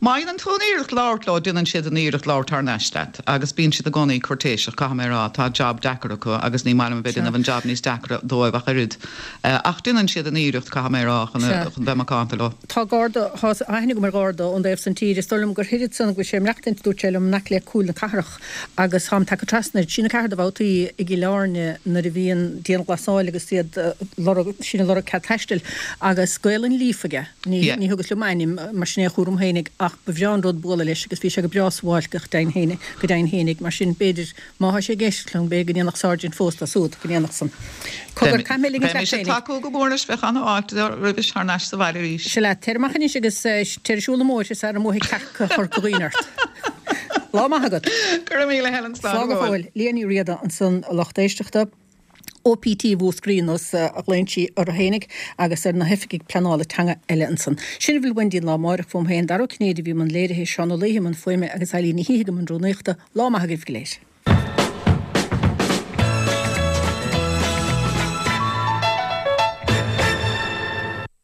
Má dhéanann tú an iarracht labhairt leo, déanann siad an iarracht labhairt thar n-ais leat, agus bíonn siad i gcónaí cúirtéiseach, caithfidh mé a rá. Tá jab deacair acu agus ní maith liom a bheith ag déanamh an jab níos deacra dóibh ach oiread. Ach déanann siad an iarracht, caithfidh mé a rá, chun bheith macánta leo. Tá garda, tá aithne agam ar gharda ón dtaobh san tíre, is dóigh liom gur thoir ansan go bhfuil sé ag maireachtaint, dúirt sé liom, in aice le Cúil na Cathrach agus táim tagtha trasna air, trí nó ceathair de bhabhtaí i gCill Airne nuair a bhíonn dianghlasáil agus iad lorg, sinn ag lorg cead taistil agus Gaolainn líofa aige, ní, ní thugas liom a ainm mar sin é a chúram fhéinig ach ba bhreá an rud bualadh leis agus bhí sé go breá sabháilte go deimhin fhéinig, go deimhin fhéinig, mar sin b'fhéidir Má thá sé ag éisteacht liom, b'fhéidir go ndéanfadh Sergeant fós dá súd, go ndéanfadh san. Cogar, caithfidh mé ligint leat Bheimis ag féinig. tacú go mór leis, bheadh an-fháilte roimhis thar n-ais sa bhaile arís. Sea leat, téir amach anois agus téir ag siúl na mbóithre sara mbuafaidh cearca Chorca Dhuibhne ort. Lá maith agat. Go raibh míle Helen, slán Slán go go fóill. fóill. Liadh Ní Riada ansan, a lucht éisteachta. OPT Mhúscraí nós a ghlaonn sí orthu fhéinig agus ar na hoifigigh pleanála teanga eile ansan. Sin a bhfuil uainn dtí an lá amáireach fúm féin, Dara Ó Cinnéide a bhí i mbun léirithe, Seán Ó Laoithe i mbun fuaime agus Eileen Ní Shíthigh i mbun rúnaíochta. Lá maith agaibh go léir.